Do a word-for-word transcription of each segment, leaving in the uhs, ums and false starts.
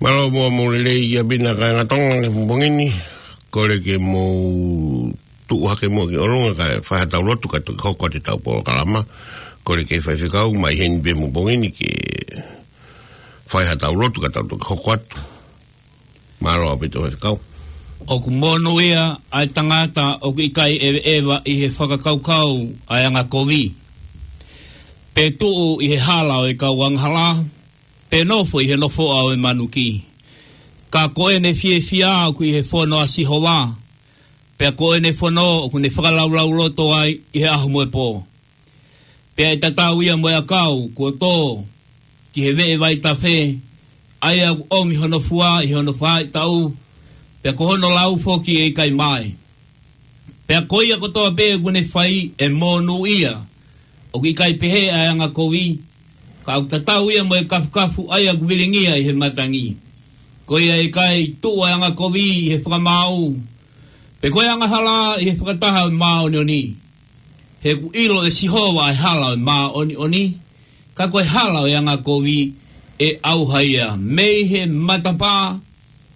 Mālō muʻa mo e lelei ia pina kāinga Tonga he pongipongi ni. Kole ke mou tuʻu hake muʻa ki ʻolunga kae fai haʻatau lotu ka toki hoko atu ʻetau polokalama. Kole ki he faifekau mai heni pē he pongipongi ni ke fai haʻatau lotu ka tau toki hoko atu. Mālō ʻaupito faifekau. ʻOku monūʻia ʻa e tangata ʻoku ʻikai ʻeveʻeva ʻi he fakakaukau ʻa e angakovi, pe tuʻu ʻi he hala ʻo e kau angahala, pe nofo ʻi he nofoʻa ʻo e manuki. Ka ko ʻene fiefia ʻoku ʻi he fono ʻa Sihova, pea ko ʻene fono ʻoku ne fakalaulauloto ai ʻi he ʻaho mo e pō. Pea ʻe tatau ia mo e ʻakau kuo tō ki he veʻe vaitafe, ʻa ia ʻoku ʻomi hono fua ʻi hono faʻahitaʻu, pea ko hono lau foki ʻe ʻikai mae. Pea ko ia kotoa pē ʻoku ne fai ʻe monūʻia. ʻOku ʻikai pehē ʻa e angakovi, ka ʻoku tatau ia mo e kafukafu ʻa ia ʻoku vilingia ʻi he matangi. Ko ia ʻe ʻikai tuʻu ʻa e angakovi ʻi he fakamaau, pe ko e angahala ʻi he fakataha ʻo e māʻoniʻoni. He ʻoku ʻilo ʻe Sihova ʻa e hala ʻo e māʻoniʻoni, ka ko e hala ʻo e angakovi ʻe ʻauha ia. Mei he matapā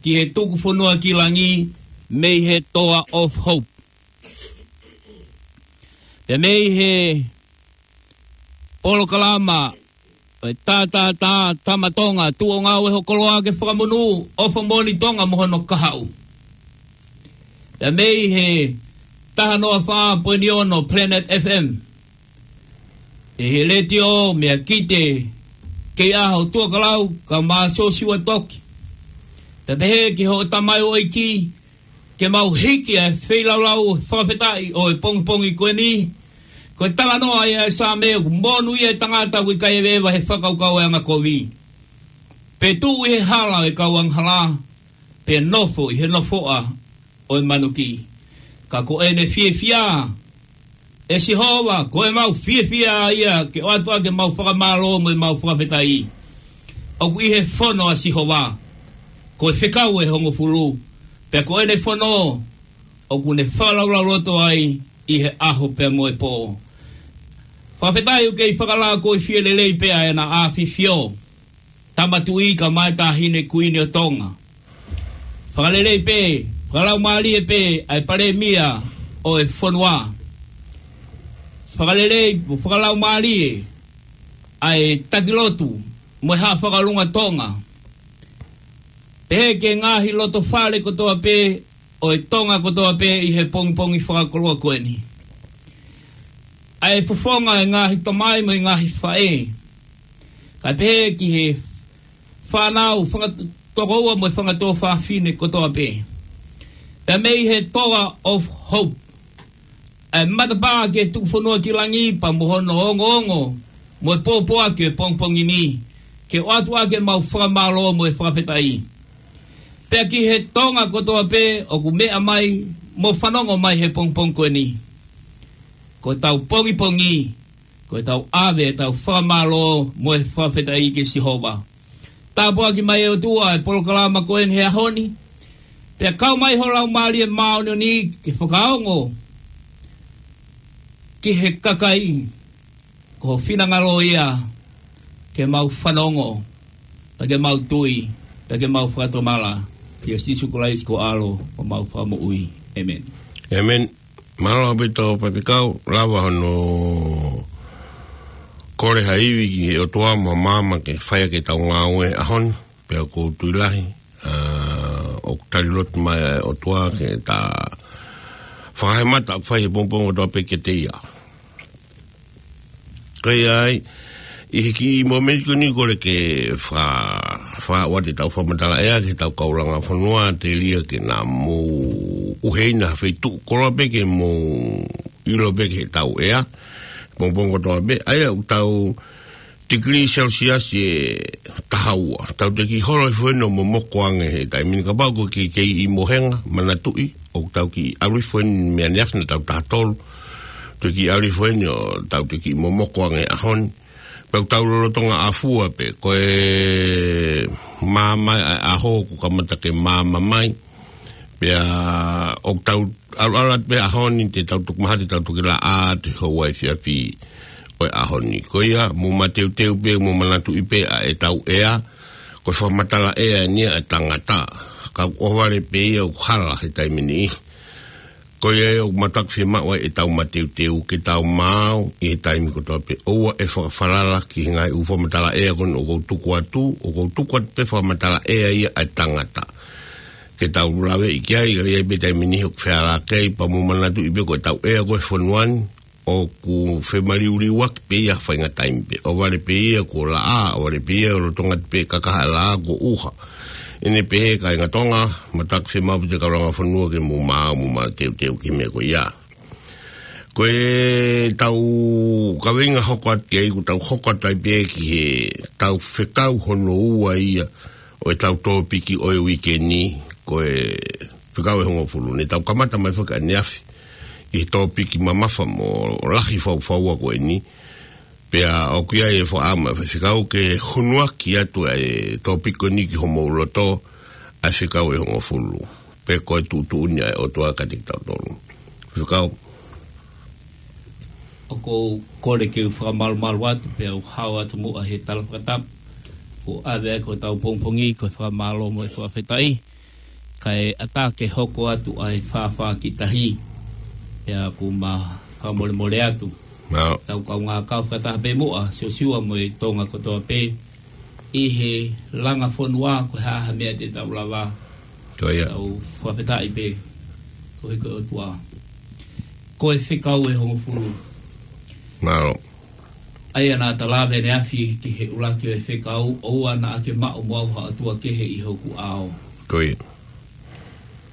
ki he tuku fonua ki langi, mei he Toa of Hope. Pea mei he polokalama ʻo e tā, tā, tā, Tama Tonga, tuʻu ʻo ngāue ho koloa ke fakamonū ʻofa moʻoni Tonga mo hono kahaʻu. Pea mei he taha noa fā poini ono Planet F M, ʻi he letiō, meʻa kite, kei ʻaho tuʻa kalau, ka mā sōsiua toki. Pea pehē ki hoʻo tamaioʻeiki, ke mau hiki ʻa e feilaulau fakafetaʻi ʻo e pongipongi ko eni. Ko e talanoa ia ʻa e Saame ʻoku monūʻia ʻa e tangata ʻoku ʻikai ʻeveʻeva he fakakaukau ʻo e angakovi, pe tuʻu ʻi he hala ʻo e kau angahala, pe nofo ʻi he nofoʻa ʻo e manuki. Ka ko ʻene fiefia ʻe Sihova, ko ʻemau fiefia ia ke ʻoatu ʻaki ʻemau fakamālō mo ʻemau fakafetaʻi. ʻOku ʻi he fono ʻa Sihova, ko e fekau ʻe hongofulu, pea ko ʻene fono ʻoku ne fakalaulauloto ai ʻi he ʻaho pea mo e pō. Fakafetaʻi ʻoku kei fakalākoifie lelei pē ʻa ʻEna ʻAfifio, Tama Tuʻi kae ʻumaʻā e Taʻahine Kuini ʻo Tonga. Fakalelei pē, fakalaumālie pē ʻa e Palēmia ʻo e fonua. Fakalelei, fakalaumālie ʻa e taki lotu mo e Haʻa Fakalunga Tonga. Pehē ki he ngaahi loto fale kotoa pē ʻo e Tonga kotoa pē ʻi he pongipongi fakakoloa ko eni. ʻA e fofonga ʻo e ngaahi tamai mo e ngaahi faʻē. Kae pehē ki he fānau, fanga t-, tokoua mo e fanga tuofāfine kotoa pē. Pea mei he Toa of Hope, ʻa e matapā ki he tuku fonua ki langi pea mo hono ongoongo mo e pōpoaki ʻo e pongipongi ni, ke ʻoatu ʻaki ʻemau fakamālō mo e fakafetaʻi. Pea ki he Tonga kotoa pē ʻoku meʻa mai mo fanongo mai he pongipongi ko eni, ko ʻetau pongipongi, ko ʻetau ʻave ʻetau fakamālō mo e fakafetaʻi ki Sihova. Tāpuaki mai ʻe ʻOtua e polokalama ko eni he ʻaho ni. Pea kau mai ho Laumālie Māʻoniʻoni ke fakaongo ki he kakai, ko ho finangalo ia ke mau fanongo, pea ke mau tui, pea ke mau fakatomala, kia Sīsū Kalaisi ko ho ʻAlo mo homau Fakamoʻui. ʻĒmeni. ʻĒmeni. Mālō ʻaupito faifekau, lava hono kole ha ivi ki he ʻOtua mo e maama ke fai ʻaki ʻetau ngāue he ʻaho ni, pea ʻoku ou tui lahi, ʻa, ʻoku tali lotu mai ʻa e ʻOtua ke ta fakahēmata ʻoku fai he pongipongi kotoa pē kiate ia. Ka ʻi ai, ʻi he kiʻi mōmeniti ko eni kole ke fa-, fa-, ʻoatu ʻetau fakamatala ʻea ki heʻetau kau langa fonua, telia ke na mou ʻuheina ha feituʻu koloa pē ke mou ʻilo pē ki heʻetau ʻea pongipongi kotoa pē. ʻA ia ʻoku tau tikilī Celsius ʻe taha ua. Tau teʻeki holo hifo eni ʻo momoko ange he taimi ni, kapau ʻoku ke kei ʻi mohenga, manatuʻi, ʻoku tau kiʻi ʻalu hifo eni mei ʻaneafi naʻa tau taha tolu. Tau kiʻi ʻalu hifo eni ʻo tau teʻeki momoko ange he ʻaho ni. Pea ʻoku tau lolotonga ʻafua pē, ko e maama ʻa e ʻaho ʻoku kamata ke maama mai. Pea ʻoku tau ʻalu ʻalu atu pē he ʻaho ni, te tau toki mahalo te tau toki laʻā atu he houa efiafi ʻo e ʻaho ni. Ko ia, mou mateuteu pē, mou manatuʻi pē ʻa ʻetau ʻea, Ko e fakamatala ʻea eni ia ʻa e tangata. Ka ʻohovale pē ia ʻoku hala he taimi ni. Ko ia ʻoku mātuʻaki fiemaʻu ai ʻetau mateuteu ke tau maau ʻi he taimi kotoa pē. ʻOua ʻe fakafalala ki he ngaahi ʻū fakamatala ʻea ko eni ʻoku ou tuku atu, ʻoku ou tuku atu pē fakamatala ʻea ia ʻa e tangata. Ke tau lave ki ai, ka ʻi ai pē taimi ni ʻoku feala ki ai, pea mou manatuʻi pē ko ʻetau ʻea ko e fonua ni, ʻoku femaliuliuaki pē ia ha faʻahinga taimi pē. ʻOhovale pē ia kuo laʻā, ʻohovale pē ia ʻoku lolotonga pē kakaha e laʻā kuo ʻuha. ʻEne pehē kāinga Tonga, mātuʻaki fiemaʻu pē ʻe he kau langa fonua ke mou maau, mou mateuteu ki he meʻa ko ia. Ko ʻetau kaveinga hoko atu ki ai, ʻoku tau hoko atu ai pē ki heʻetau fekau hono ua ia ʻo ʻetau tōpiki ʻo e uike ni, ko e fekau ʻe hongofulu. Ne tau kamata mai foki ʻaneafi ʻi he tōpiki mamafa mo lahi faufaua ko eni. Pea ʻoku ʻi ai e fakaʻamu ʻa e faifekau ke hunuaki atu ʻa e tōpiki ko eni ki homou loto, ʻa e fekau ʻe hongofulu. Pea ko e tuʻutuʻuni ʻa e ʻOtua kiate kitautolu. Faifekau. ʻOku ou kole ke u fakamalumalu atu, pea u hao atu muʻa he tala fakatapu. Kuo ʻave ʻa hotau pongipongi, ko e fakamālō mo e fakafetaʻi. Kae ʻatā ke hoko atu ʻa e fāfā ki tahi. Pea ʻoku ma fakamolemole atu. Mālō. Tau kaungā kau fakataha pē muʻa, Siosiua mo e Tonga kotoa pē. ʻI he langa fonua ko e hā ha meʻa te tau lava. Ko ia. Tau fakafetaʻi pē. Koeʻuhi ko e ʻOtua. Ko e fekau ʻe hongofulu. Mālō. ʻA ia naʻa ta lave ʻaneafi ki he ʻuluaki ʻo e fekau, ʻoua naʻa ke maʻu mo au ha ʻotua kehe ʻi hoku ʻao. Ko ia.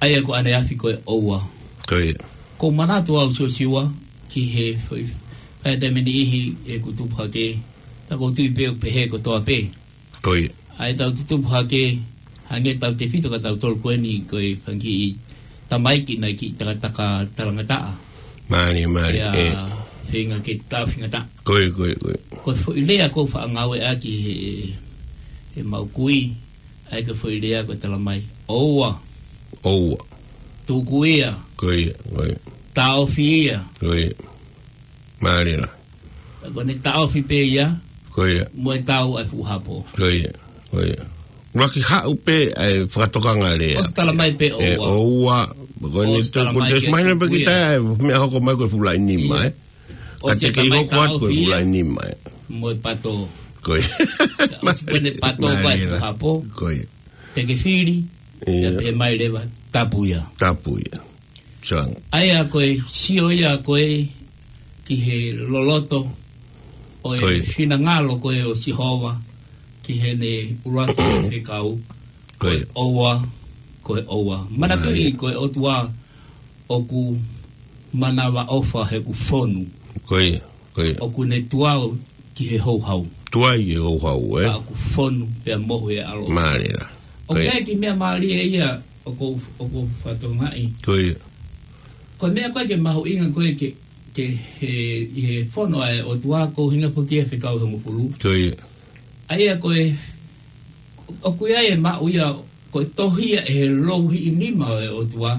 ʻA ia ko ʻaneafi ko e ʻoua. Ko ia. ʻOku ou manatu au Siosiua ki he fai-, fai taimi niʻihi ʻeku tupu hake, pea ʻoku ou tui pē ʻoku pehē kotoa pē. Ko ia. ʻA ia tau tutupu hake, hangē tautefito kia tautolu ko eni ko e fanga kiʻi tamaiki naʻe kiʻi takataka talangataʻa. Mālie, mālie, ʻIa ē. feinga ke tāfingataʻa. Ko ia, ko ia, ko ia. Ko e foʻi lea ʻoku ou faʻa ngāueʻaki he, he maʻu kui, ʻa ia ko e foʻi lea ko e tala mai. ʻOua. ʻOua. Tuku ia. Ko ia, ko ia. Taʻofi ia. Ko ia. Mālie lahi. Ko ʻene taʻofi pē ia. Ko ia. Mo e tau ʻa e fuʻu hapo. Ko ia, ko ia. Laki haʻu pē ʻa e fakatokanga lea. ʻOsi tala mai pē ʻOua. ʻOua. Ko ʻene ʻOsi tala mai ke tuku ia. Mahino pē ki tae, meʻa hoko mai ko e fuʻu laʻi nima, ʻIa. ʻE. Ka ʻosi te kei hoko atu ko e fuʻu laʻi nima, ʻe. Mo e pato. Ko ia. ʻOsi ko ʻene pato mai e fuʻu hapo. Ko ia. Te ke fili. ʻIa. Te pē mai leva, tapu ia. Tapu ia. Sang. ʻA ia ko e sio ia ko ē ki he loloto ʻo e Ko ia. finangalo ko ē ʻo Sihova ki heʻene ʻuluaki fekau. Ko Ko ia. e ʻOua, ko e ʻOua. Manatuʻi Mālie. ko e ʻOtua ʻoku manavaʻofa heʻeku fonu. Ko ia, ko ia. ʻOku ne tuai ki he houhau. Tuai ki he houhau, ē? Ka ʻoku fonu pea mohu e ʻAlo. Mālie lahi. ʻOku Ko ia. ʻi ai e kiʻi meʻa mālie ia ʻoku, ʻoku ou fakatokangaʻi. Ko ia. Ko e meʻa ko ē ke mahuʻinga ko ē ke, ke he, ʻi he fono ʻa e ʻOtua ko e ʻuhinga foki e fekau ʻe hongofulu. Ko ia. ʻA ia ko e, ʻoku ʻi ai e maʻu ia ko e tohi ia ʻe he louhiʻi nima ʻo e ʻOtua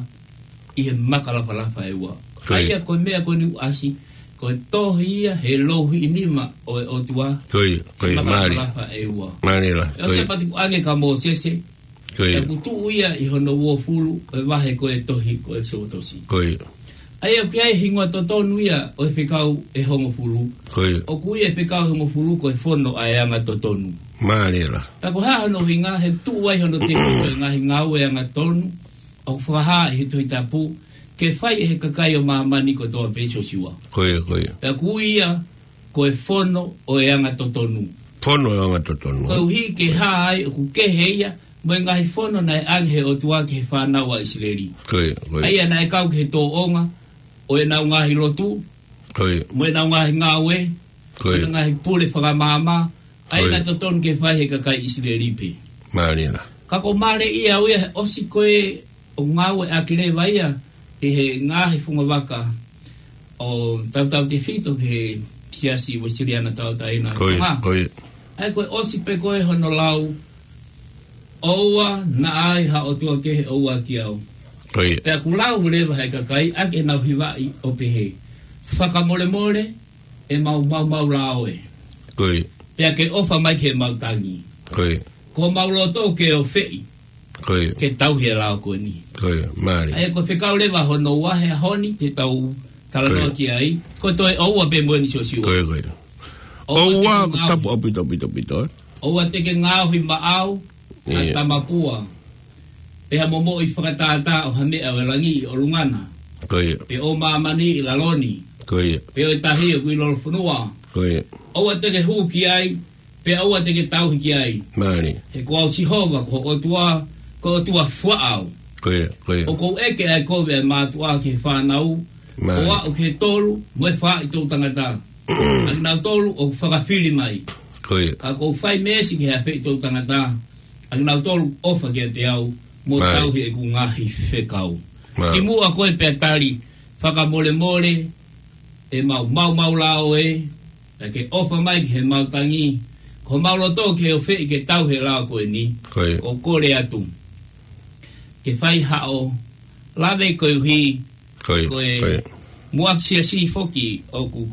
ʻi he maka lafalafa ʻe ua. Ko ia. ʻA ia ko e meʻa ko eni ʻoku ʻasi, ko e tohi ia he louhiʻi nima ʻo e ʻOtua Ko ia, ko ia, maka mālie. lafalafa ʻe ua. Mālie lahi, ʻE ko ʻosi ia. pati kuange kia Mōsese, Ko ia. ʻoku tuʻu ia ʻi hono uofulu ʻo e vahe ko e tohi ko ʻEkisotosi. Ko ia. ʻA ia ʻoku ʻi ai e hingoa totonu ia ʻo e fekau ʻe hongofulu. Ko ia. ʻOku ui e fekau ʻe hongofulu ko e fono ʻa e anga totonu. Mālie lahi. Ka ko e hā hono ʻuhinga he tuʻu ai hono tepi ko e ngaahi ngāue anga totonu, ʻoku fakahā ʻi he Tohi Tapu, ke fai ʻe he kakai ʻo māmani kotoa pē Siosiua. Ko ia, ko ia. Pea ʻoku ui ia ko e fono ʻo e anga totonu. Fono ʻo e anga totonu. Koeʻuhi ke hā ai ʻoku kehe ia, mo e ngaahi fono naʻe ʻange ʻe he ʻOtua ki he fānau ʻa ʻIsileli. Ko ia, ko ia. ʻA ia naʻe kau ki he tōʻonga ʻo ʻenau ngaahi lotu, Ko ia. mo ʻenau ngaahi ngāue, Ko ia. mo ʻenau ngaahi pule fakamaama, ʻa ia Ko ia. naʻe totonu ke fai ʻe he kakai ʻIsileli pē. Mālie lahi. Ka ʻoku mālie ia ʻaʻau ia he ʻosi ko ē ʻo ngāueʻaki leva ia ʻi he ngaahi fungavaka ʻo tautautefito ki he Siasi Uēsiliana Tauʻatāina Ko ia, Tonga. ko ia. ʻA ia ko e ʻosi pē ko ē hono lau, ʻOua naʻa ai ha ʻotua kehe ʻoua kiate au. Ko ia. Pea ʻoku lau leva ʻe he kakai ʻaki ʻenau hivaʻi ʻo pehē, Fakamolemole ʻemau maumau lao ē. Ko ia. Pea ke ʻofa mai ki heʻemau tangi. Ko ia. Ko homau loto ke ofeʻi. Ko ia. Ke tauhi e lao ko eni. Ko ia, mālie. ʻA ia ko e fekau leva hono ua he ʻaho ni te tau talanoa ki ai. Ko e toe ʻoua pē mo eni Siosiua. Ko ia, ko ia. ʻOua te ke ngaohi. Tapu ʻaupito, ʻaupito, ʻaupito, ē? ʻOua te ke ngaohi maʻau, ʻa tamapua. Pe ha momoʻi fakatātā ʻo ha meʻa ʻo e langi ʻi ʻolunga na. Ko ia. Pe ʻo māmani ʻi lalo ni. Ko ia. Pe ʻo e tahi ʻoku ʻi lolofonua. Ko ia. ʻOua te ke hū ki ai, pea ʻoua te ke tauhi ki ai. Mālie. He ko au Sihova, ko ho ʻOtua, ko e ʻOtua fuaʻau. Ko ia, ko ia. ʻOku ou ʻeke ʻa e kovi ʻa e mātuʻa ki he fānau, ko aʻu ki he tolu, mo e faʻahitaʻu tangata. ʻA kinautolu ʻoku fakafili mai. Ko ia. Ka ʻoku ou fai meesi ki he afeʻi toʻutangata, ʻa kinautolu ʻofa kiate au, mo tauhi ʻeku ngaahi fekau. Mālie. Kimuʻa ko e pea tali, fakamolemole, ʻe mau, mau, mau lao ē, pea ke ʻofa mai ki he mau tangi, ko homau loto ke ofeʻi ke tauhi e lao ko eni, ko e kole atu. Ke fai haʻo, lave koeʻuhi, ko e muʻaki siasi foki ʻoku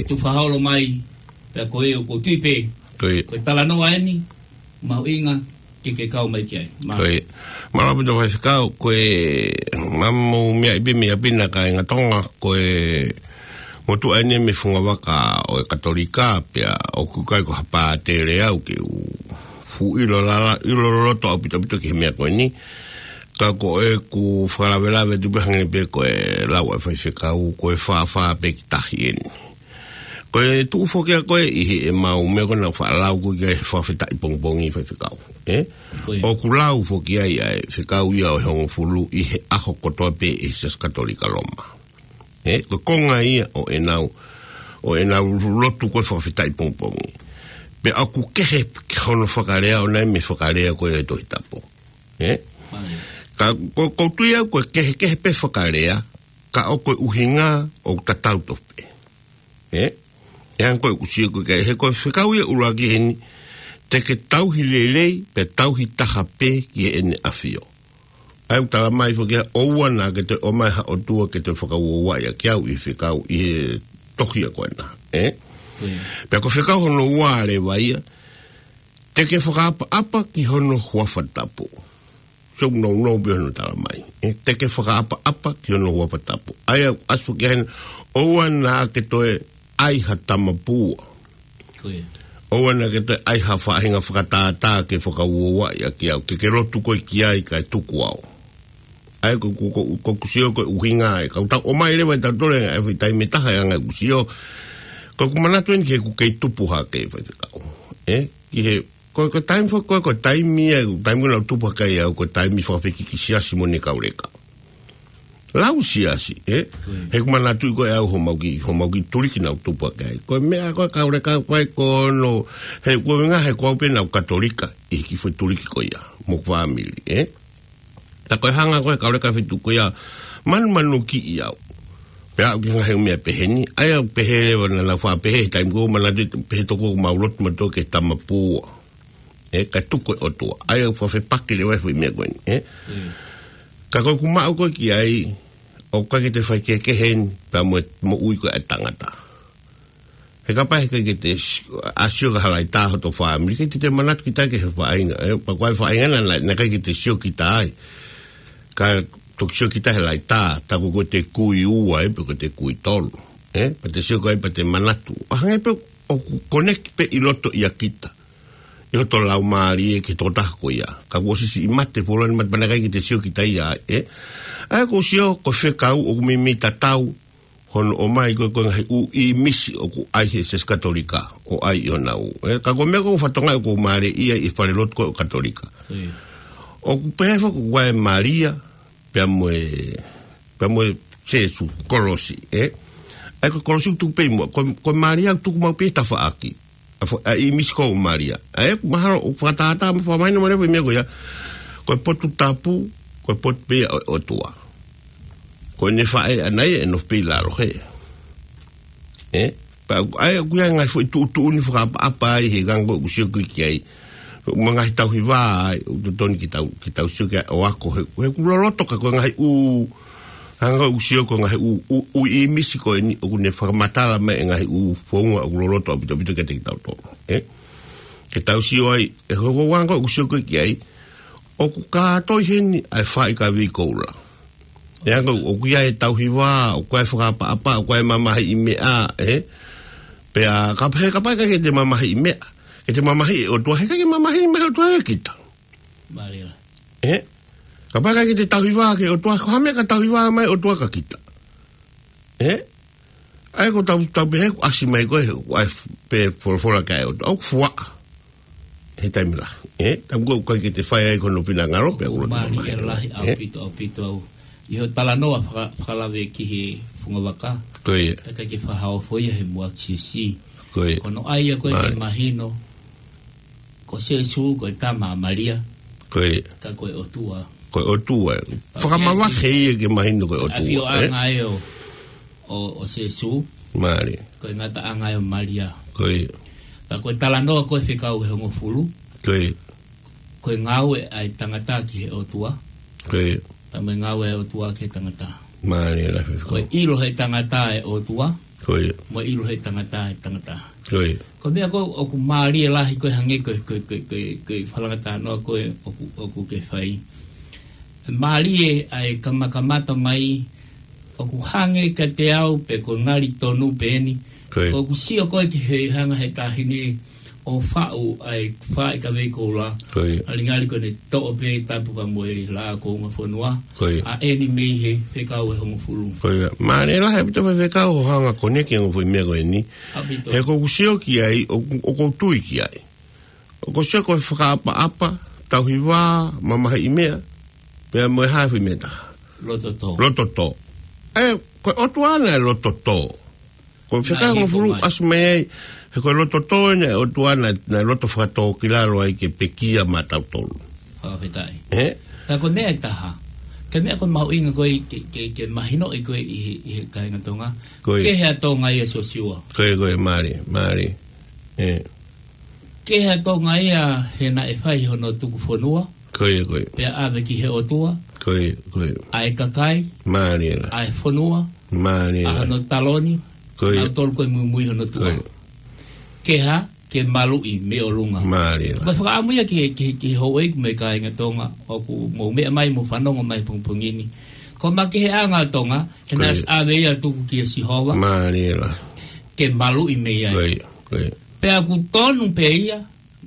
tufa holo mai, pea ko e ʻoku tui pē, ko e talanoa eni, mahuʻinga ke ke kau mai ki ai. Mālie. Mālō ʻaupito Faifekau, ko e mamo mea ipi mea pina ka e ngatonga, ko e motuʻa eni mei he fungavaka ʻo e Katolika, pea ʻoku ʻikai ko ha pātele au ke u fuʻu ʻilo lala, ʻilo loloto ʻaupito ʻaupito ki he meʻa ko eni. Ka ko ʻeku fakalavelave atu pē hangē pē ko e lau ʻa e Faifekau, ko e fāfā pē ki tahi eni. Ko e tuʻu foki ʻa ko ē ʻi heʻemau meʻa ko ē naʻa ku faʻa lau ko ē ki he fakafetaʻi pongipongi Faifekau. Ē? ʻOku lau foki ai ʻa e fekau ia ʻo e hongofulu ʻi he ʻaho kotoa pē ʻi he Siasi Katolika Loma. Ē? Ko e konga ia ʻo ʻenau, ʻo ʻenau lotu ko ē fakafetaʻi pongipongi. Pea ʻoku kehe ki hono fakalea ʻo ʻenau mei he fakalea ko ē ʻo e Tohi Tapu. Ē? Ka ko, ko tui au ko e kehekehe pē fakalea, ka ʻoku ʻuhinga ʻoku tatau tofu pē. Ē? ʻE hangē ko ʻeku sio ko ē ki ai, he ko e fekau ia ʻuluaki heni, te ke tauhi lelei, pea tauhi taha pē ki heʻene ʻafio. ʻA ia ʻoku tala mai foki ia, ʻoua naʻa ke toe ʻomai ha ʻotua ke toe fakauouaʻi ʻaki au ʻi he fekau, ʻi he tohi ʻa ko ena. Ē? Pea ko e fekau hono ua leva ia, te ke fakaʻapaʻapa ki hono huafa tapu. Sio nounou pē hono tala mai. Ē, te ke fakaʻapaʻapa ki hono huafa tapu. ʻA ia, ʻasi foki heni, ʻoua naʻa ke toe ʻai ha tamapua. Ko ia. ʻOua naʻa ke toe ʻai ha faʻahinga fakatātā ke fakauouaʻi ʻaki au. Ke ke lotu koe ki ai kae tuku au. ʻA ia, ko, ko, ko, ko ʻeku sio ko e ʻuhinga ē. Ka u tau ʻomai leva ʻe tautolu ʻa e foʻi taimi ʻe taha ʻe hanga ʻeku sio. Ko ʻeku manatu eni ki heʻeku kei tupu hake Faifekau. Ē, ki he Ko, ko e taimi fo-, ko, ko e taimi ia, taimi ko ē naʻa ku tupu hake ai au, ko e taimi fakafekiki siasi mo ʻene kau leka. Lau siasi, ē? He ʻoku manatuʻi ko ē au homau kiʻi, homau kiʻi tuliki naʻa ku tupu hake ai. Ko e meʻa ko ē kau leka fai ko hono, he ko e ngaahi he ko au pē naʻa ku Katolika, ʻi he kiʻi foʻi tuliki ko ia, mo e fāmili, ē? Ka ko e hanga ko ē kau leka fetuku ia, manumanukiʻi au. Pea aʻu ki he ngaahi meʻa pehē ni, ʻa ia pehē leva naʻa nau faʻa pehē, taimi ko ē manatuʻi pehē toko mau lotu mautolu ki he tamapua. Ē, kae tuku e ʻOtua. ʻA ia ʻoku faʻa fepaki leva e foʻi meʻa ko eni, ē? Ka ko ʻeku maʻu ko ē ki ai, ʻoku ʻikai ke toe fai kehekehe eni, pea mo e, moʻui ko ē ʻa e tangata. He kapau he ʻikai ke te si-, ʻa sio ki ha laitā hoto fāmili, ʻikai te te manatu kita ki he faʻahinga, ē, pea ko e faʻahinga naʻa, naʻa, naʻe ʻikai ke te sio kita ai. Ka toki sio kita he laitā, tā ko ē ko ʻete kui ua, ē, pe ko ʻete kui tolu. Ē, pea te sio ko ē pea te manatu. ʻA hangē pē ʻoku connect pē ʻi loto ʻia kita. ʻI hoto laumālie ki he tokotaha ko ia. Ka kuo ʻosi siʻi mate, fuoloa ʻene mate pea naʻe ʻikai ke te sio kita ia, ē. ʻA ia ʻoku ou sio, ko e fekau ʻoku meimei tatau, hono ʻomai ko ē ko e ngaahi ʻū ʻīmisi ʻoku ʻai he Siasi Katolika, ʻo ʻai ʻi honau. Ē, ka ko e meʻa ko ē ʻoku ou fakatokangaʻi ʻoku ou mālieʻia ʻi he fale lotu ko ē ʻo e Katolika. ʻIo. ʻOku pehē foki ko e Malia, pea mo e, pea mo e Sēsū, kolosi, ē? ʻA ia ko e kolosi ʻoku tuku pē ʻi muʻa, ko, ko e Malia ʻoku tuku maʻu pē he tafaʻaki. ʻA fo-, ʻa e ʻīmisi ko ē ʻo Malia. ʻA ia, mahalo ʻoku fakatātā mo fakamahino mai leva e meʻa ko ia. Ko e potu tapu, ko e potu pē ia ʻo, ʻOtua. Ko ʻene faʻē ʻana ia ʻe nofo pē ʻi lalo hē. Ē? Pea ʻoku, ʻa ia ʻoku ʻi ai e ngaahi foʻi tuʻutuʻuni fakaʻapaʻapa ai he anga ko ē ʻoku sio ko ē ki ai. Mo e ngaahi tauhi vā ai, ʻoku totonu ke tau, ke tau sio ki ai ʻo ako he, he ʻoku loloto ka ko e ngaahi ʻū, anga ko ē ʻoku sio ko e ngaahi ʻū, ʻū, ʻū ʻīmisi ko eni, ʻoku ne fakamatala mai e ngaahi ʻū founga ʻoku loloto ʻaupito ʻaupito kiate kitautolu. Ē? Ke tau sio ai, ʻe hoko ʻoku anga ʻoku sio ko ē ki ai, ʻoku kātoi heni ʻa e faaʻi kavei koula. ʻE anga ʻoku ʻi ai e tauhi vā, ʻoku ʻi ai e fakaʻapaʻapa, ʻoku ʻi ai e mamahiʻi meʻa, ē? Pea, ka, he kapau ʻe ʻikai ke te mamahiʻi meʻa, ke te mamahiʻi e ʻOtua, he ʻikai ke mamahiʻi mai e ʻOtua ʻe kita. Mālie. Ē? Kapau ʻe ʻikai ke te tauhi vā ki he ʻOtua, ko e hā e meʻa ka tauhi vā mai e ʻOtua kia kita. Ē? ʻA ia ko ʻetau, tau pehē ʻoku ʻasi mai ko ē, ʻoku ʻi ai pē folofola ki ai e ʻOtua, ʻoku fuaʻa. He taimi lahi. Ē? Taimi ko ē ʻoku ʻikai ke te fai ai ko hono finangalo, pea ʻoku loto mālie mamahi. Lahi, ē? ʻAupito, ʻaupito au. ʻI hoʻo talanoa faka-, fakalave ki he fungavaka. Ko ia. ʻIkai ke fakaofo ia he muʻaki siʻisiʻi. Ko ia. Ko hono ʻai ia ko ē ke mālie. Mahino. Ko Sēsū, ko e tama ʻa Malia. Ko ia. Ka ko e ʻOtua. Ko e ʻOtua. Fakamavahe ia ke mahino ko e ʻOtua, ē? ʻAfioʻanga ia ʻo, ʻo, ʻo Sēsū. Mālie. Ko e ngataʻanga ia ʻo Malia. Ko ia. Ka ko e talanoa ko ē fekau ʻe hongofulu. Ko ia. Ko e ngāue ʻa e tangata ki he ʻOtua. Ko ia. Pea mo e ngāue ʻa e ʻOtua ki he tangata. Mālie lahi. Ko e ʻilo ʻe he tangata e ʻOtua. Ko ia. Mo e ʻilo ʻe he tangata e tangata. Ko ia. Ko e meʻa ko ē ʻoku mālie lahi ko ē hangē ko e, ko e, ko e, ko e, ko e fakalanga talanoa ko ē ʻoku, ʻoku ke fai. Mālie ʻa e kamakamata mai ʻoku hangē kiate au pe ko e ngali tonu pē eni. Ko ia. ʻOku sio ko ē ki he hanga he taʻahine ʻo faʻu ʻa e faaʻi kavei koula. Ko ia. ʻAli ngali ko ʻene toʻo pē tapu pea mo e laʻā kounga fonua. Ko ia. ʻA eni mei he fekau ʻe hongofulu. Ko ia. Mālie lahi ʻaupito e fekau hoʻo hanga ʻo koneki ange foʻi meʻa ko eni. ʻAupito. He ʻoku ou sio ki ai, ʻoku, ʻoku ou tui ki ai. ʻOku ou sio ko e fakaʻapaʻapa, tauhi vā, mamahiʻi meʻa, pea mo e hā e foʻi meʻa ʻe taha. Loto tō. Loto tō. Ē, ko e ʻOtua naʻe loto tō. Ko e fekau ʻe hongofulu ʻasi mai ai, he ko e loto tō eni ʻa e ʻOtua naʻe, naʻe loto fakatōkilalo ai ke pekia maʻatautolu. Fakafetaʻi. Ē? Ka ko e meʻa ʻe taha. Ko e meʻa ko ē mahuʻinga ko ē ke, ke, ke mahinoʻi ko ē ʻi he, ʻi he kāinga Tonga. Ko ia. Kehe ʻa Tonga ia Siosiua. Ko ia, ko ia, mālie, mālie. Ē. Kehe ʻa Tonga ia he naʻe fai hono tuku fonua. Ko ia, ko ia. Pea ʻave ki he ʻOtua. Ko ia, ko ia. ʻA e kakai. Mālie lahi. ʻA e fonua. Mālie lahi. ʻA hono taloni. Ko ia. Nautolu ko ē muimui hono tuʻa. Ko ia. Kehe ke maluʻi mei ʻolunga. Mālie lahi. Ko e fakaʻamu ia ki he, ki he, ki he houʻeiki mo e kāinga Tonga, ʻoku mou meʻa mai mo fanongo mai pongipongi ni. Ko e makeheʻanga ʻo Tonga, he naʻe ʻosi ʻave ia tuku kia Sihova. Mālie lahi. Ke maluʻi mei ai. Ko ia, ko ia. Pea ʻoku tonu pē ia,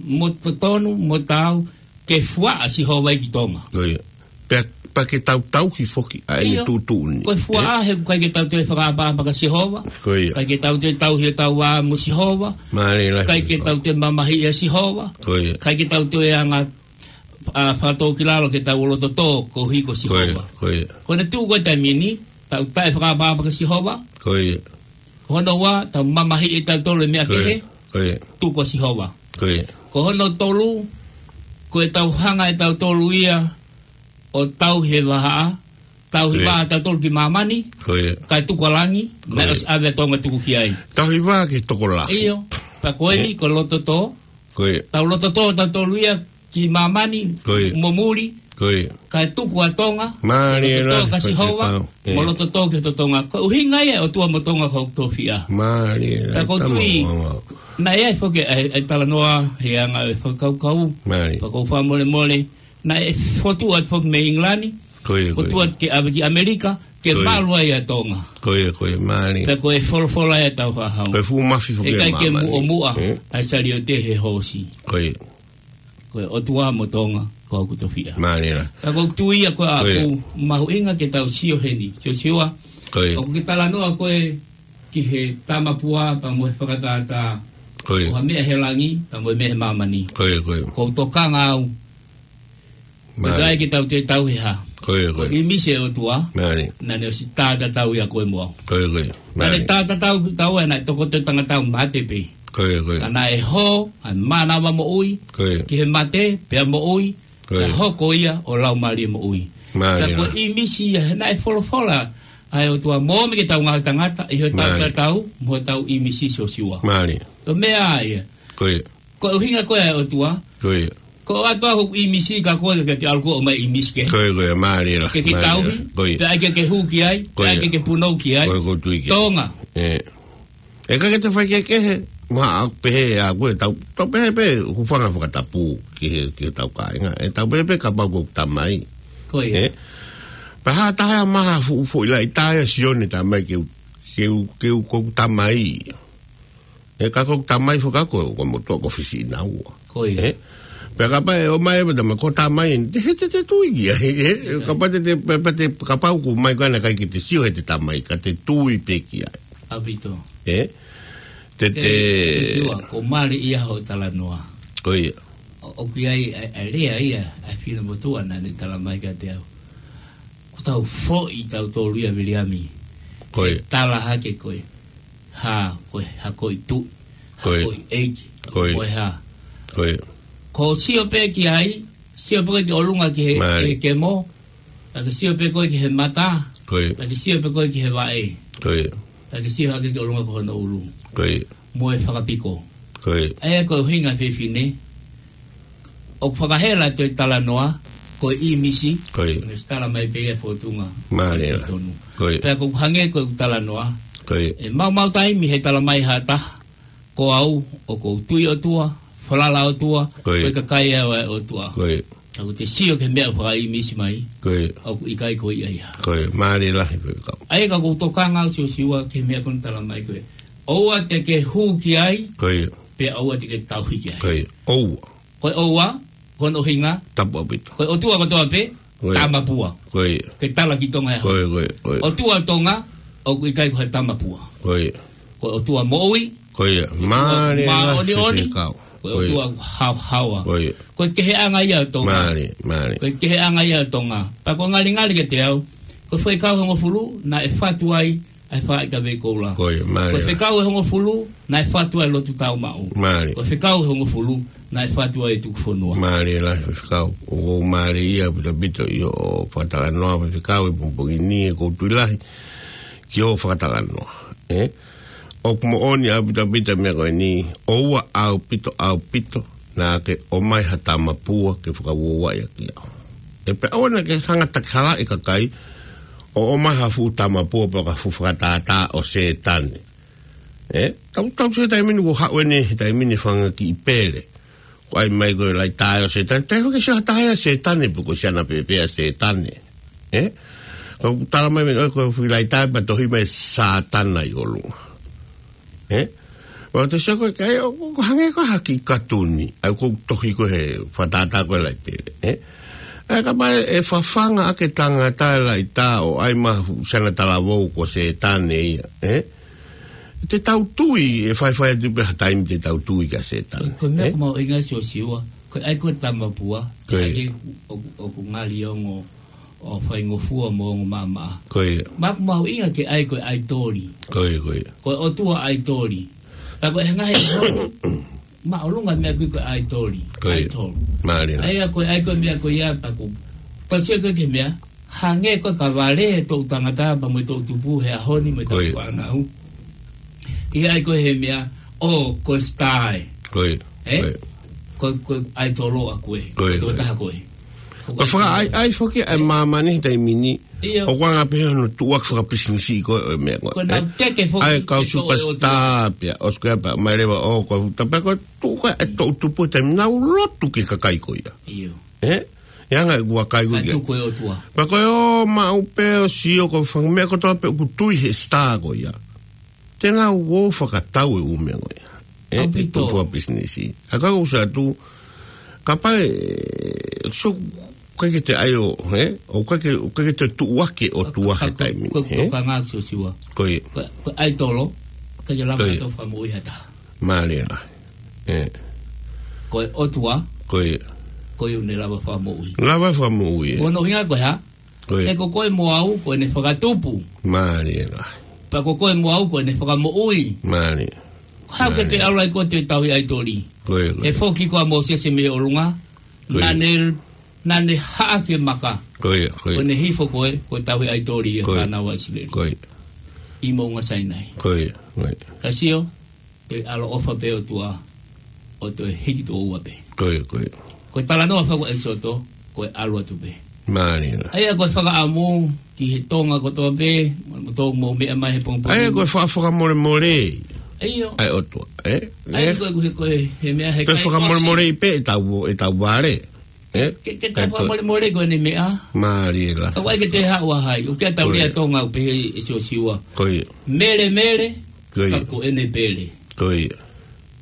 mo totonu, mo taau, ke fuaʻa Sihova ia ki Tonga. Ko ia. Pea, pea ke tau tauhi foki ʻa ʻene tuʻutuʻuni. Ko e fuaʻa he ʻoku ʻikai ke tau toe fakaʻapaʻapa kia Sihova. Ko ia. ʻIkai ke tau toe tauhi ʻetau vā mo Sihova. Mālie lahi. ʻIkai ke tau toe mamahiʻi ʻa Sihova. Ko ia. ʻIkai ke tau toe anga, ʻa, fakatōkilalo ke tau loto tō koeʻuhi ko Sihova. Ko ia, ko ia. Ko ʻene tuʻu ko ē taimi ni, tau taʻefakaʻapaʻapa kia Sihova. Ko ia. Ko hono ua, tau mamahiʻi ʻe tautolu e meʻa kehe. Ko ia. Tuku ʻa Sihova. Ko ia. Ko hono tolu, ko ʻetau hanga ʻe tautolu ia ʻo tauhi e vahaʻa, tauhi vā ʻa tautolu ki māmani, kae tuku ʻa langi, naʻe ʻosi ʻave ʻa Tonga tuku ki ai. Tauhi vā ki he tokolahi. ʻIo, pea ko eni, ko e loto tō. Ko ia. Tau loto tō tautolu ia ki māmani, mo muli, kae tuku ʻa Tonga, mo loto tō kia Sihova, mo loto tō ki he totongi. Ko e ʻuhinga ia ʻo e ʻOtua mo Tonga ko hoku tofiʻa. Mālie, pea ʻoku ou tui, naʻe ʻi ai foki ʻa e, ʻa e talanoa he anga e fakakaukau. Pea ʻoku ou fakamolemole, naʻe fotu atu foki mei ʻIngilani, fotu atu ke ʻave ki ʻAmelika, ke malu ai ʻa Tonga. Ko ia, ko ia, mālie. Pea ko e folofola ia ʻa e tau fānau. Ko e fuʻu mafi foki ʻe maʻu. ʻIkai ke muʻomuʻa ʻa e saliote he hoosi. Ko ia. Ko e ʻOtua mo Tonga, ko hoku tofiʻa. Mālie lahi. Ka ʻoku ou tui ia ko ē ʻoku mahuʻinga ke tau sio heni. Siosiua. Ko ia. ʻOku ke talanoa ko ē ki he tamapua, pea mo e fakatātā. Ko ia. ʻO ha meʻa he langi, pea mo e meʻa he māmani. Ko ia, ko ia. ʻOku ou tokanga au. Mālie. Ko e taʻe ke tau toe tauhi ha. Ko ia, ko ia. Ko e ʻīmisi ʻa e ʻOtua. Mālie. Naʻa ne ʻosi tātatau ia ko ē mo au. Ko ia, ko ia. Naʻa ne tātatau ki taua, naʻe tokoto e tangata ʻo mate pē. Ko ia, ko ia. Ka naʻe hō ʻa e mānava moʻui ki he mate, pea moʻui, pea hoko ia ʻo laumālie moʻui. Mālie. Ka ko e ʻīmisi ia, he naʻe folofola ʻa e ʻOtua mo e meʻa ke tau ngaahi tangata, ʻi heʻetau tātatau, mo ʻetau ʻīmisi Siosiua. Mālie. Ko e meʻa ia. Ko ia. Ko e ʻuhinga ko ē ʻa e ʻOtua. Ko ia. Ko e ʻOtua ko e ʻīmisi ka ko e ke te ʻalu ko ē ʻo ʻomai ʻīmisi kehe. Ko ia, ko ia, mālie lahi. Ke ke tauhi, pea ʻai ke ke hū ki ai, pea ʻai ke ke punou ki ai. Ko ia, ʻoku ou tui ki ai. Tonga. ʻE. ʻE ʻikai ke te fai kehekehe. Maʻa pehē ʻa koe tau, tau pehē pē, hūfanga fakatapu ki he, ki he tau kāinga. ʻE tau pehē pē kapau ko e tamai. Ko ia. Ē? Pea ha taha ia maha fuʻu foʻi laʻitā ia Sione tamai ke u, ke u, ke u ko e tamai. ʻE ka ko e tamai fakakoe, ko motuʻa ko Fisi ʻi naua. Ko ia. Ē? Pea kapau ʻe ʻomai ʻe pata ma ko e tamai, te he te te tui ki ai, ē? Kapau te te, pe, pe te, kapau ko mai kana kai ki te sio he te tamai, ka te tui pē ki ai. ʻAupito. Ē? Te te Sisiua, ko mālie ia hoʻo talanoa. Ko ia. ʻO, ʻoku ʻi ai, ʻa e, ʻa e lea ia, ʻa e fine motuʻa naʻa ne tala mai kiate au. Ko tau foʻi tau tolu ia Viliami. Ko ia. Tala hake ko e. Ha, ko e, ha ko e tu. Ko ia. Ko e age. Ko ia. Ko e ha. Ko ia. Ko sio pē ki ai, sio pē ki ʻolunga ki he, Mālie. Ki he kemo. Pea ke sio pē koe ki he mata. Ko ia. Pea ke sio pē koe ki he vaʻe. Ko ia. Pea ke sio hake ki ʻolunga ko hono ʻulu. Ko ia. Mo e fakapiko. Ko ia. ʻA ia ko e ʻuhinga fefine. ʻOku fakahela atu e talanoa, ko e ʻīmisi. Ko ia. Ne tala mai pē ia fotunga. Mālie. Tonu. Ko ia. Pea ko e hangē ko e talanoa. Ko ia. ʻE maumau taimi he tala mai ha taha. Ko au, ʻoku ou tui ʻOtua, falala ʻOtua, Ko ia. Ko e kakai au ʻa e ʻOtua. Ko ia. Ka ko te sio ki he meʻa ʻoku fakaʻīmisi mai, Ko ia. ʻOku ʻikai ko ia ia. Ko ia, mālie lahi ko e kau. ʻA ia ka ʻoku ou tokanga au Siosiua ki he meʻa ko ena tala mai ko e. ʻOua te ke hū ki ai, Ko ia. Pea ʻoua te ke tauhi ki ai. Ko ia, ʻoua. Ko e ʻoua, ko hono ʻuhinga, Tapu ʻaupito. Ko e ʻOtua kotoa pē, Ko ia. Tamapua. Ko ia. Ke tala ki Tonga ē. Ko ia, ko ia, ko ia. ʻOtua Tonga, ʻoku ʻikai ko ha tamapua. Ko ia. Ko e ʻOtua moʻui. Ko ia. Mālie lahi Fefine Kau. Ko e Ko ia. ʻOtua haohaoa. Ko ia. Ko e keheʻanga ia ʻo Tonga. Mālie, mālie. Ko e keheʻanga ia ʻo Tonga. Pea ko e ngalingali kiate au. Ko e Faifekau ʻe hongofulu, naʻe fatu ai, ʻa e fā ʻi ka vei koula. Ko ia, mālie lahi. Ko e Faifekau ʻe hongofulu, naʻe fatu ai e lotu tau maʻu. Mālie. Ko e Faifekau ʻe hongofulu, naʻe fatu ai e tuku fonua. Mālie lahi Faifekau. ʻOku mālie ia ʻaupito ʻaupito ʻi hoʻo fakatalanoa Faifekau ʻi he pongipongi ni ʻoku ou tui lahi ki hoʻo fakatalanoa. Ē? ʻOku moʻoni ʻaupito ʻaupito meʻa ko eni, ʻoua ʻaupito ʻaupito, naʻa ke ʻomai ha tamapua ke fakauouaʻi ʻaki au. ʻE pea ʻoua naʻa ke hanga takihalaʻi e kakai, ʻo ʻomai ha fuʻu tamapua pe ko ha fuʻu fakatātā ʻo Sētane. Ē? Tau, tau sio he taimi ni ʻoku haʻu eni he taimi ni fanga kiʻi pele. Ko e ʻai mai ko e laʻitā ʻo Sētane. Te hoki sio ha taha ia Sētane pe ko siana pēpē ʻa Sētane. Ē? Ka ʻoku tala mai mei ko e fuʻu laʻitā pea tohi mai Sātana ʻi ʻolunga. Ē? ʻOku te sio ko e kai, ʻoku, ʻoku hangē ko ha kiʻi katuni. ʻA ia ʻoku tohi ko e he fakatātā ko e laʻi pele. Ē? ʻA ia kapau ʻe fafanga ʻaki e tangata e laʻitā ʻo ʻai mai ha fuʻu siana talavou ko Sētane ia. Ē? Te tau tui ʻe faifai atu pē ha taimi te tau tui kia Sētane. Ko e meʻa Ē? ʻoku mahuʻinga Siosiua. Ko e ʻai ko e tamapua. Ko ia. ʻAi ke ʻoku, ʻoku ngali ongo ʻo faingofua mo ongo maʻamaʻa. Ko ia. Meʻa ʻoku mahuʻinga ke ʻai ko e ʻaitoli. Ko ia, ko ia. Ko e ʻotua ʻaitoli. Pea ko e ngaahi māʻolunga meʻa ko e ko e ʻaitoli. Ko ia. ʻAitoli. Mālie. ʻA ia ko e ʻai ko e meʻa ko ia pea ko. Tau sio ko e ke meʻa. Hangē ko e ka vale e toʻutangata pea mo e toʻutupu he ʻaho ni mo e Ko ia. Tapu ʻanau. ʻI he ʻai ko e he meʻa, ʻo ko e star ē. Ko ia. Ē? Ko ia. Ko, ko e ʻaitolo ʻa koe. Ko ia, Ko e ko ia. Taha koe. Ko Ko e fakaʻaiʻai foki ʻa e māmani he taimi ni. ʻIo. ʻOku anga pē hono tuʻuaki fakapisinisi ko e meʻa ko Ko e nau ē. Teke foki ʻA e kau e toʻo e superstar pea, ʻosi ko ia pea, mai leva ʻo ko e, tapea ko e tuʻu ko e toʻutupu he taimi nau lotu ki he kakai ko ia. ʻIo. Ē? ʻE anga e kua kai ko Ka ia. Tuku e ʻotua. Pea ko e ō maʻu pē ʻo sio ko e fanga meʻa kotoa pē ʻoku tui he star ko ia. Te nau ō fakatau e ʻū meʻa ko ia. Ē, ʻAupito. E tuʻu fakapisinisi. ʻA ka ʻoku sa tu, kapau ʻe, so, ʻikai ke te ʻai ʻo, ē? ʻOku ʻikai ke, ʻoku ʻikai ke te tuʻuaki e ʻotua he Ka, ka, taimi, ko e ē? Tokanga Siosiua. Ko ia. Ko, ko e ʻaitolo, ʻikai ke lava Ko ia. Tau fakamoʻui ha taha. Mālie lahi. Ē. Ko e ʻotua, Ko ia. Ko ia ʻoku ne lava fakamoʻui. Lava fakamoʻui, ē. Ko hono ʻuhinga ko e hā? Ko ia. He ko koe mo au, ko ʻene fakatupu. Mālie lahi. Pea ko koe mo au, ko ʻene fakamoʻui. Mālie. Hau ke Mālie. Te ʻalu ai ko e te tauhi ʻaitoli. Ko ia, ko ia. He foki ko ʻa Mōsese mei ʻolunga. Ko ia. Naʻa ne, naʻa ne haʻa ke maka. Ko ia, ko ia. Ko ʻene hifo ko e, ko e tauhi ʻaitoli ia Ko ia. Fānau ʻa ʻIsileli. Ko ia. ʻI Moʻunga Sainai. Ko ia, ko ia. Ka sio, Te ʻaloʻofa pē ʻOtua, ʻo toe hiki tuʻo ua pē. Ko ia, ko ia. Ko e talanoa fakaʻuhinga ʻEkisoto, ko e ʻalu atu pē. Mālie. ʻA ia ko e fakaʻamu, ki he Tonga kotoa pē, mo tō mo meʻa mai he pongipongi. ʻA ia ko e fa-, fakamolemole. ʻA e ʻOtua, ē? Ai, ko e, ko e, ko e, he meʻa he pe kai fakamolemoleʻi pē ʻetau, ʻetau vale. Ē? Ke, ke tau fakamolemoleʻi ko eni meʻa. Mālie lahi. Ka ʻoku ʻikai ke te haʻu ʻa hai. ʻOku ʻikai ke tau lea Tonga ʻo pehē ʻe Siosiua. Ko ia. Mele mele, ka ko ʻene pele. Ko ia.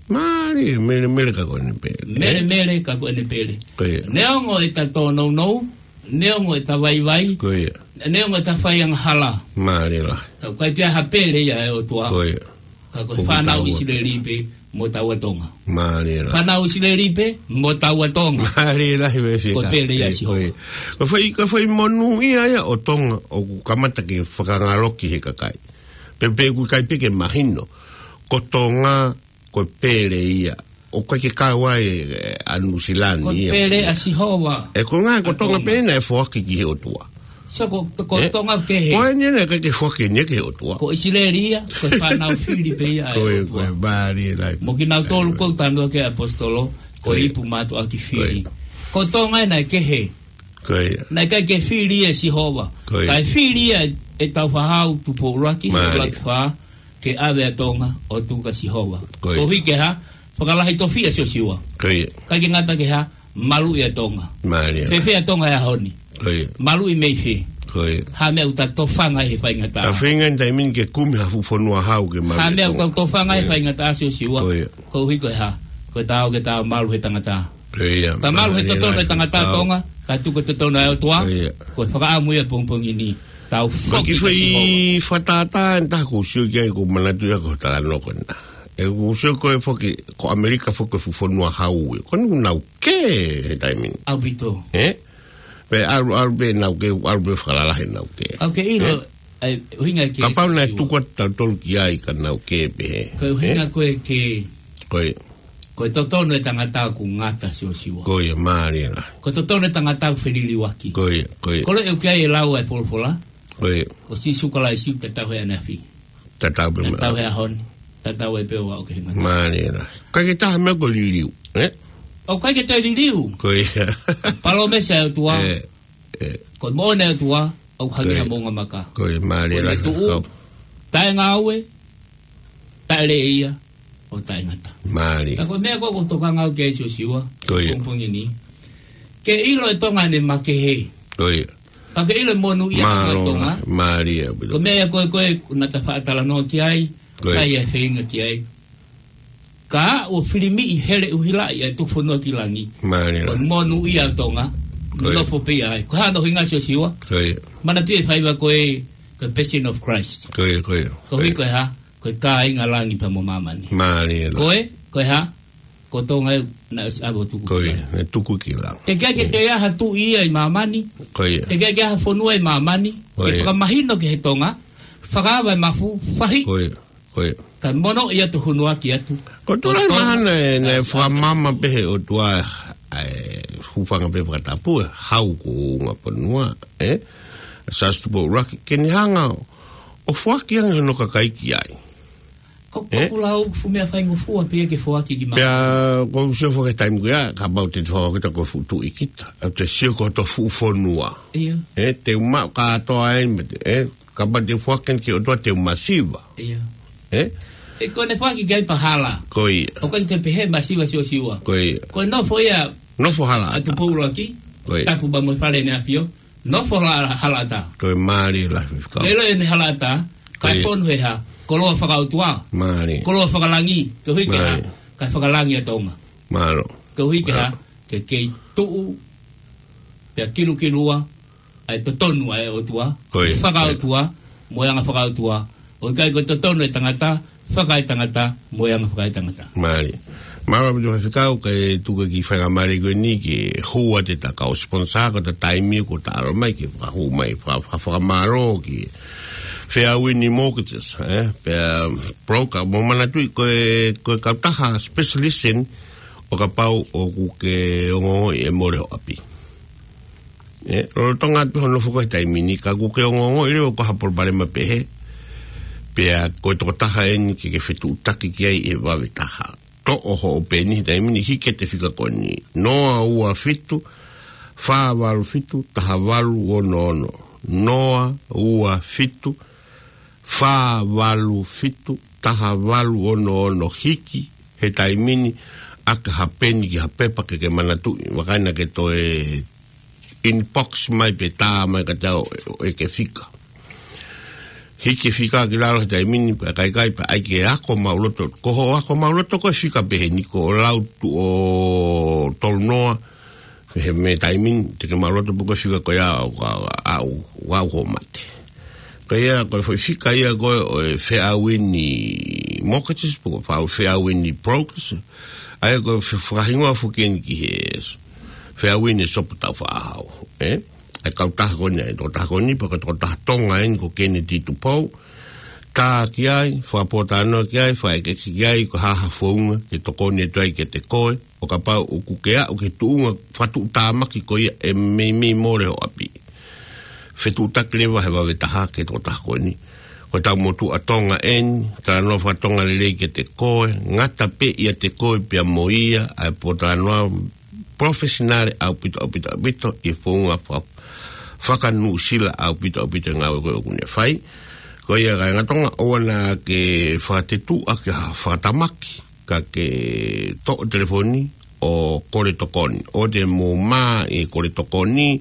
Mālie, mele mele ka ko ʻene pele. Mele mele, ka ko ʻene pele. Ko ia. Neongo ʻeta tōnounou, neongo ʻeta vaivai, ko ia, neongo ʻeta fai angahala. Mālie lahi. Ka ʻoku ʻikai ke ʻi ai ha pele ia ʻa e ʻOtua. Ko ia. Ka ko e fānau ʻIsileli pē mo taua Tonga. Mālie lahi. Fānau ʻIsileli pē mo taua Tonga. Mālie lahi, ko e pele ia ʻa Sihova. Ko ia. Ka fai, ka fai monūʻia ia ʻo Tonga ʻoku kamata ke fakangaloki he kakai. Pe, pe ʻoku ʻikai pē ke mahino. Ko Tonga, ko e pele ia. ʻOku ʻikai ke kau ai, ē, ʻa Nuʻusila ni ia. Ko e pele ʻa Sihova. ʻE, ko e ngaahi, ko Tonga pē naʻe foaki ki he ʻOtua. So ko, ko Tonga kehe. Ko eni naʻe ʻikai ke foaki eni ki he ʻOtua. Ko ʻIsileli ia, ko e fānau fili pē ia ʻa e ʻOtua. Ko e, mālie lahi. Mo kinautolu ʻoku ou talanoa ki ai ʻapositolo, ko e ipu mātuʻaki fili. Ko Tonga naʻe kehe. Ko ia. Naʻe ʻikai ke fili ʻe Sihova. Ko ia. Kae fili ia ʻe Tāufaʻāhau Tupou ʻUluaki, ʻUluaki Fā, ke ʻave ʻa Tonga ʻo tuku kia Sihova. Ko ia. Koeʻuhi ke hā, fakalahi tofiʻa Siosiua. Ko ia. ʻIkai ke ngata ke hā, maluʻi ʻa Tonga. Mālie. Fēfē ʻa Tonga he ʻaho ni? Ko ia. Maluʻi mei fē? Ko ia. Ha meʻa ʻoku ta tofanga he faingataʻa. Ta feinga eni taimi ni ke kumi ha fuʻu fonua hau ke maluʻi ʻa Tonga. Ha meʻa ʻoku ta tofanga he faingataʻa Siosiua. Ko ia. Koeʻuhi ko e hā, ko e taau ke ta malu he tangata. Ko ia. Ta malu he totonu ʻa e tangata ʻa Tonga, ka tuku ʻa e totonu ʻa e ʻOtua. Ko ia. Ko e fakaʻamu ia pongipongi ni. Tau foki kia Sihova. Fakatātā eni taha ʻoku ou sio ki ai ʻoku ou manatu ia ko e talanoa ko ena. ʻE ʻoku ou sio ko e foki, ko ʻAmelika foki ko e fuʻu fonua hau ia. Ko eni ʻoku nau kē he taimi ni. ʻAupito. Ē? Pea ʻalu, ʻalu pē nau kē, ʻalu pē fakalalahi nau kē. ʻOku ke ʻilo, ē? ʻA e ʻuhinga ke Siosiua. Kapau naʻe tuku atu tautolu ki ai ka nau kē pehē. Ko e ʻuhinga ko ē ke Ko ia. Ko e totonu ʻa e tangata ʻoku ngata Siosiua. Ko ia, mālie lahi. Ko e totonu ʻa e tangata ʻoku feliliuaki. Ko ia, ko ia. Ko e ʻuhinga ia ʻoku lau ʻa e folofola. Ko ia. Ko Sīsū Kalaisi tatau he ʻaneafi. Tatau pē mo e ʻaho ni. Tatau ai pē ʻo aʻu ki he ngataʻanga. Mālie lahi. ʻIkai ke taha meʻa ʻoku liliu, ē? ʻOku ʻikai ke toe liliu. Ko ia. Palōmesi ʻa e ʻOtua. Ē, ē. Ko e moʻoni ʻa e ʻOtua, ʻoku hangē ha moʻunga maka. Ko ia, mālie lahi. Ko e tuʻu, taʻe ngāue, taʻe lea ia, ʻo taʻengata. Mālie. Ka ko e meʻa ko ē ʻoku ou tokanga au ki ai Siosiua, ko ia, pongipongi ni. Ke ʻilo ʻe Tonga ʻene makehe. Ko ia. Ka ke ʻilo e monūʻia ʻa Tonga. Mālie, mālie. Ko e meʻa ko ē, ko ē, naʻa ta faʻa talanoa ki ai, ko ia, ʻikai ha feinga ki ai. Ka ʻoku filimiʻi hele ʻuhilaʻi ʻa e tuku fonua ki langi. Mālie. Ko e monūʻia ʻa Tonga. Ko ia. Nofo pē ia ai. Ko e hā hono ʻuhinga Siosiua? Ko ia. Manatuʻi e faiva ko ē, ko e Passion of Christ. Ko ia, ko ia. Koeʻuhi ko e hā? Ko e kāinga langi pea mo māmani. Mālie. Ko e, ko e hā? Ko Tonga ē naʻe ʻosi ʻave ʻo tuku ki langi. Ko ia, naʻe tuku ki langi. Teʻeki ai ke toe ʻi ai ha tuʻi ia ʻi māmani. Ko ia. Teʻeki ai ke ʻi ai ha fonua ʻi māmani. Ko ia. Ke fakamahino ki he Tonga, fakaava e mafu, fahi. Ko ia, ko ia. Kae mono ia to hunuaki atu. Ko e tō lahi mahalo naʻe, naʻe fakamamaʻi pē he ʻOtua ʻa e hūfanga pē fakatapu, hau ko e ʻū fonua, ē? Sīsū Tupou ʻUluaki, ke ne hanga ʻo foaki ange hono kakai ki ai. Ko, ē? Ko e lau fuʻu meʻa faingofua pē ke foaki ki māmani. Pea, ʻoku ou sio foki he taimi ko ia, kapau te te foaki kita ko e fuʻu tuʻi kita. ʻOku te sio ko hoto fuʻu fonua. Ia. Ē, te u maʻu kātoa eni, ē, kapau te u foaki ki he ʻOtua te u masiva. Ia. Ē? ʻE ko ʻene foaki ki ai pē hala. Ko ia. ʻOku ʻikai te pehē masiva Siosiua. Ko ia. Ko e nofo ia. Nofo hala ʻa Tupou ʻUluaki. Ko ia. Tapu pea mo e Fale ʻAneafi ʻo nofo hala, halaʻatā. Ko e mālie lahi fika. Lele ʻene halaʻatā, kae fonu he hā, koloa fakaʻotua. Mālie. Koloa fakalangi, koeʻuhi ke hā, kae fakalangi ʻa Tonga. Mālō. Koeʻuhi ke hā, ke kei tuʻu, pea kilukilua, ʻa e totonu ʻa e ʻOtua. Ko ia. Fakaʻotua, mo e anga fakaʻotua. ʻOku ʻikai ko e totonu ʻa e tangata, fakaetangata, mo e anga fakaetangata. Mālie. Mālō ʻaupito Faifekau, kae tuku e kiʻi faingamālie ko eni ke hū atu ʻeta kau sponsor ko ʻeta taimi ko ʻeta ʻalu mai ke fakahū mai, faka-, faka-, fakamālō ki Fairwind Mortgages, ē? Pea broker, mou manatuʻi ko e, ko e kautaha specialist eni ʻo kapau ʻoku ke ongoongoʻi ʻe mole ho ʻapi. Ē, lolotonga atu hono foki he taimi ni ka ʻoku ke ongoongoʻi leva ʻoku ʻi ai ha palopalema pehē. Pea ko e tokotaha eni ke ke fetuʻutaki ki ai ʻi he vave taha. Toʻo hoʻo peni he taimi ni, hiki atu e fika ko eni. Noa ua fitu, fā valu fitu, taha valu ono ono. Noa ua fitu, fā valu fitu, taha valu ono ono, hiki he taimi ni ʻaki ha peni ki ha pepa ke ke manatuʻi, vakai naʻa ke toe inbox mai pe tā mai kiate au ʻo ʻeke fika. Hiki e fika ki lalo he taimi ni, pea ʻikai ke, pea ʻai ke ako maʻuloto, ko hoʻo ako maʻuloto ko e fika pehē ni, ko e lau tuʻo tolu noa, he mei he taimi ni, te ke maʻuloto pe ko e fika ko ia ʻoku, ʻoku, ʻoku, ʻoku hoʻo mate. Ko ia, ko e foʻi fika ia ko ē ʻo e Fair Wind Mortgages, pe ko e Fair Wind Brokers, ʻa ia ko e fe-, fakahingoa foki eni ki he Fair Wind Sopu Tau Faʻahau, ē? ʻA e kautaha ko eni, ʻa e tokotaha ko eni, pea ko e tokotaha Tonga eni ko Kennedy Tupou, tā ki ai, fakapōtalanoa ki ai, fakaʻekeʻeke ki ai, ko e hā ha founga ke tokoni atu ai kiate koe, ʻo kapau ʻoku ke aʻu ki he tuʻunga fakatuʻutāmaki ko ia ʻe meimei mole ho ʻapi. Fetuʻutaki leva he vave taha ki he tokotaha ko eni. Ko ʻetau motuʻa Tonga eni, talanoa fakatonga lelei kiate koe, ngata pē ʻiate koe pea mo ia, ʻa e pōtalanoa professional ʻaupito, ʻaupito, ʻaupito, ʻi he founga fa-, faka-Nuʻusila ʻaupito, ʻaupito e ngāue ko ē ʻoku ne fai. Ko ia kāinga Tonga, ʻoua naʻa ke fakatetuʻa ke ha fakatamaki, ka ke toʻo telefoni ʻo kole tokoni. ʻOua te mou mā ʻi he kole tokoni,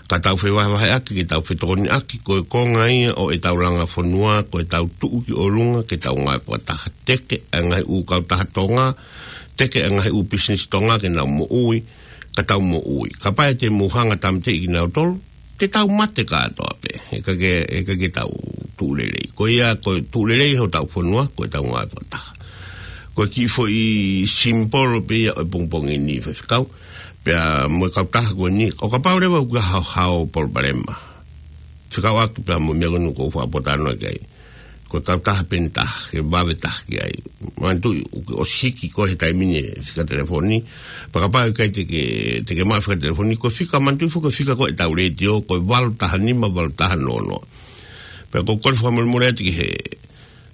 ka tau fevahevaheʻaki, ke tau fetokoniʻaki, ko e konga ia ʻo ʻetau langa fonua, ko ʻetau tuʻu ki ʻolunga, ke tau ngāue fakataha, teke ʻa e ngaahi ʻū kautaha Tonga, teke ʻa e ngaahi ʻū pisinisi Tonga ke nau moʻui, ka tau moʻui. Kapau te mou hanga ʻo tāmateʻi kinautolu, te tau mate kātoa pē, he ʻikai ke, he ʻikai ke tau tuʻu lelei. Ko ia, ko e tuʻu lelei hotau fonua, ko ʻetau ngāue fakataha. Ko e kiʻi foʻi simipolo pē ia ʻo e pongipongi ni, Faifekau, pea mo e kautaha ko eni, ʻo kapau leva ʻoku ʻi ai ha, ha palopalema, fekauʻaki pea mo e meʻa ko eni ʻoku ou fakapotalanoa ki ai. Ko e kautaha pē eni taha, ke vave taha ki ai. Manatuʻi, ʻoku ke ʻosi hiki koe he taimi ni e fika telefoni. Pea kapau ʻe ʻikai te ke, te ke maʻu e fika telefoni, ko e fika, manatuʻi foki ko e fika ko ē ʻetau letiō, ko e valu taha nima, valu taha noa noa. Pea ʻoku ou kole fakamolemole atu ki he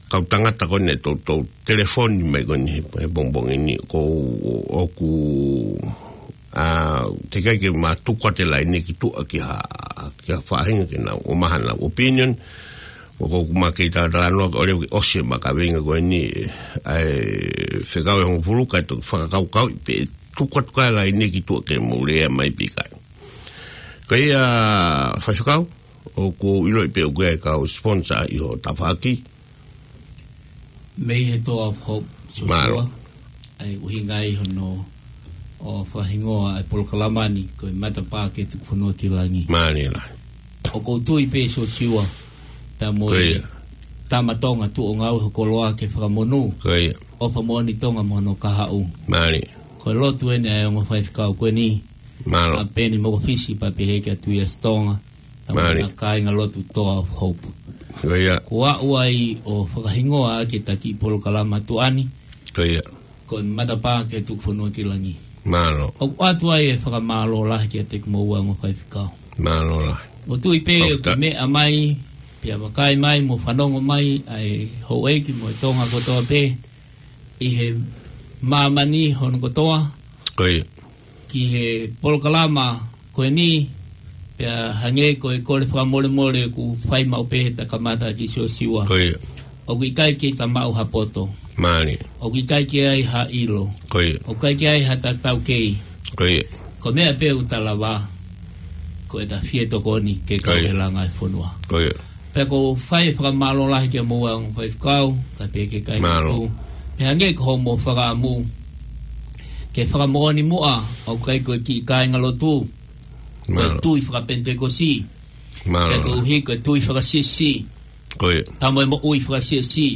kau tangata ko eni ʻoku toutou telefoni mai ko eni he, he pongipongi ni, ko ʻoku, ʻa, teʻeki ai ke ma tuku atu e laine ki tuʻa ki ha, ki ha faʻahinga ke nau ʻomai haʻanau opinion. ʻOku ou, ʻoku ma kei talatalanoa ʻo leva ke ʻosi ʻema kaveinga ko eni, ʻa e fekau ʻe hongofulu, kae toki fakakaukauʻi pe tuku atu ʻa e laine ki tuʻa ke mou lea mai pe ʻikai. Ka ia, Faifekau, ʻoku ou ʻiloʻi pē ʻoku ʻi ai e kau sponsor ʻi ho tafaʻaki. Mei he Door of Hope, Mālō. Sōsiua, ʻa e ʻuhinga ia hono ʻo fakahingoa ʻa e polokalama ni ko e Matapā ki he Tuku Fonua ki Langi. Mālie lahi. ʻOku ou tui pē Sōsiua, pea mo e Ko ia. Tama Tonga tuʻu ʻo ngāue ho koloa ke fakamonū. Ko ia. ʻOfa moʻoni Tonga mo hono kahaʻu. Mālie. Ko e lotu eni ʻa e ongo faifekau ko eni. Mālō. ʻA Peni Mokofisi pea pehē kia Tuiasi Tonga. Mālie. Tama kāinga lotu Door of Hope. Ko ia. Ko au ai ʻo fakahingoa ʻaki ʻeta kiʻi polokalama tuʻa ni. Ko ia. Ko e Matapā ki he Tuku Fonua ki Langi. Mālō. ʻOku ʻoatu ai e fakamālō lahi kiate kimoua ongo faifekau. Mālō lahi. ʻOku ou tui pē ʻoku ke meʻa mai, pea vakai mai, mo fanongo mai, ʻa e houʻeiki mo e Tonga kotoa pē, ʻi he māmani hono kotoa. Ko ia. Ki he polokalama ko eni, pea hangē ko e kole fakamolemole ʻoku fai maʻu pē heʻeta kamata kia Sōsiua. Ko ia. ʻOku ʻikai ke ta maʻu ha poto. Mālie. ʻOku ʻikai ke ʻi ai ha ʻilo. Ko ia. ʻOku ʻikai ke ʻi ai ha tautautefito. Ko ia. Ko e meʻa pē ʻoku ta lava, ko ʻeta fie tokoni ke Ko ia. Kau he langa e fonua. Ko ia. Pea ʻoku ou fai e fakamālō lahi kia moua ongo faifekau, kae pehē ki he kāinga Mālō. Lotu. Pea hangē ko hoʻomo fakaʻamu, ke fakamoʻoni muʻa, ʻoku ʻikai ko e kiʻi kāinga lotu, ko e Mālō. Tui fakapenitekosi. Mālō. Pea koeʻuhi ko e tui fakasiasi. Ko ia. Pea mo e moʻui fakasiasi.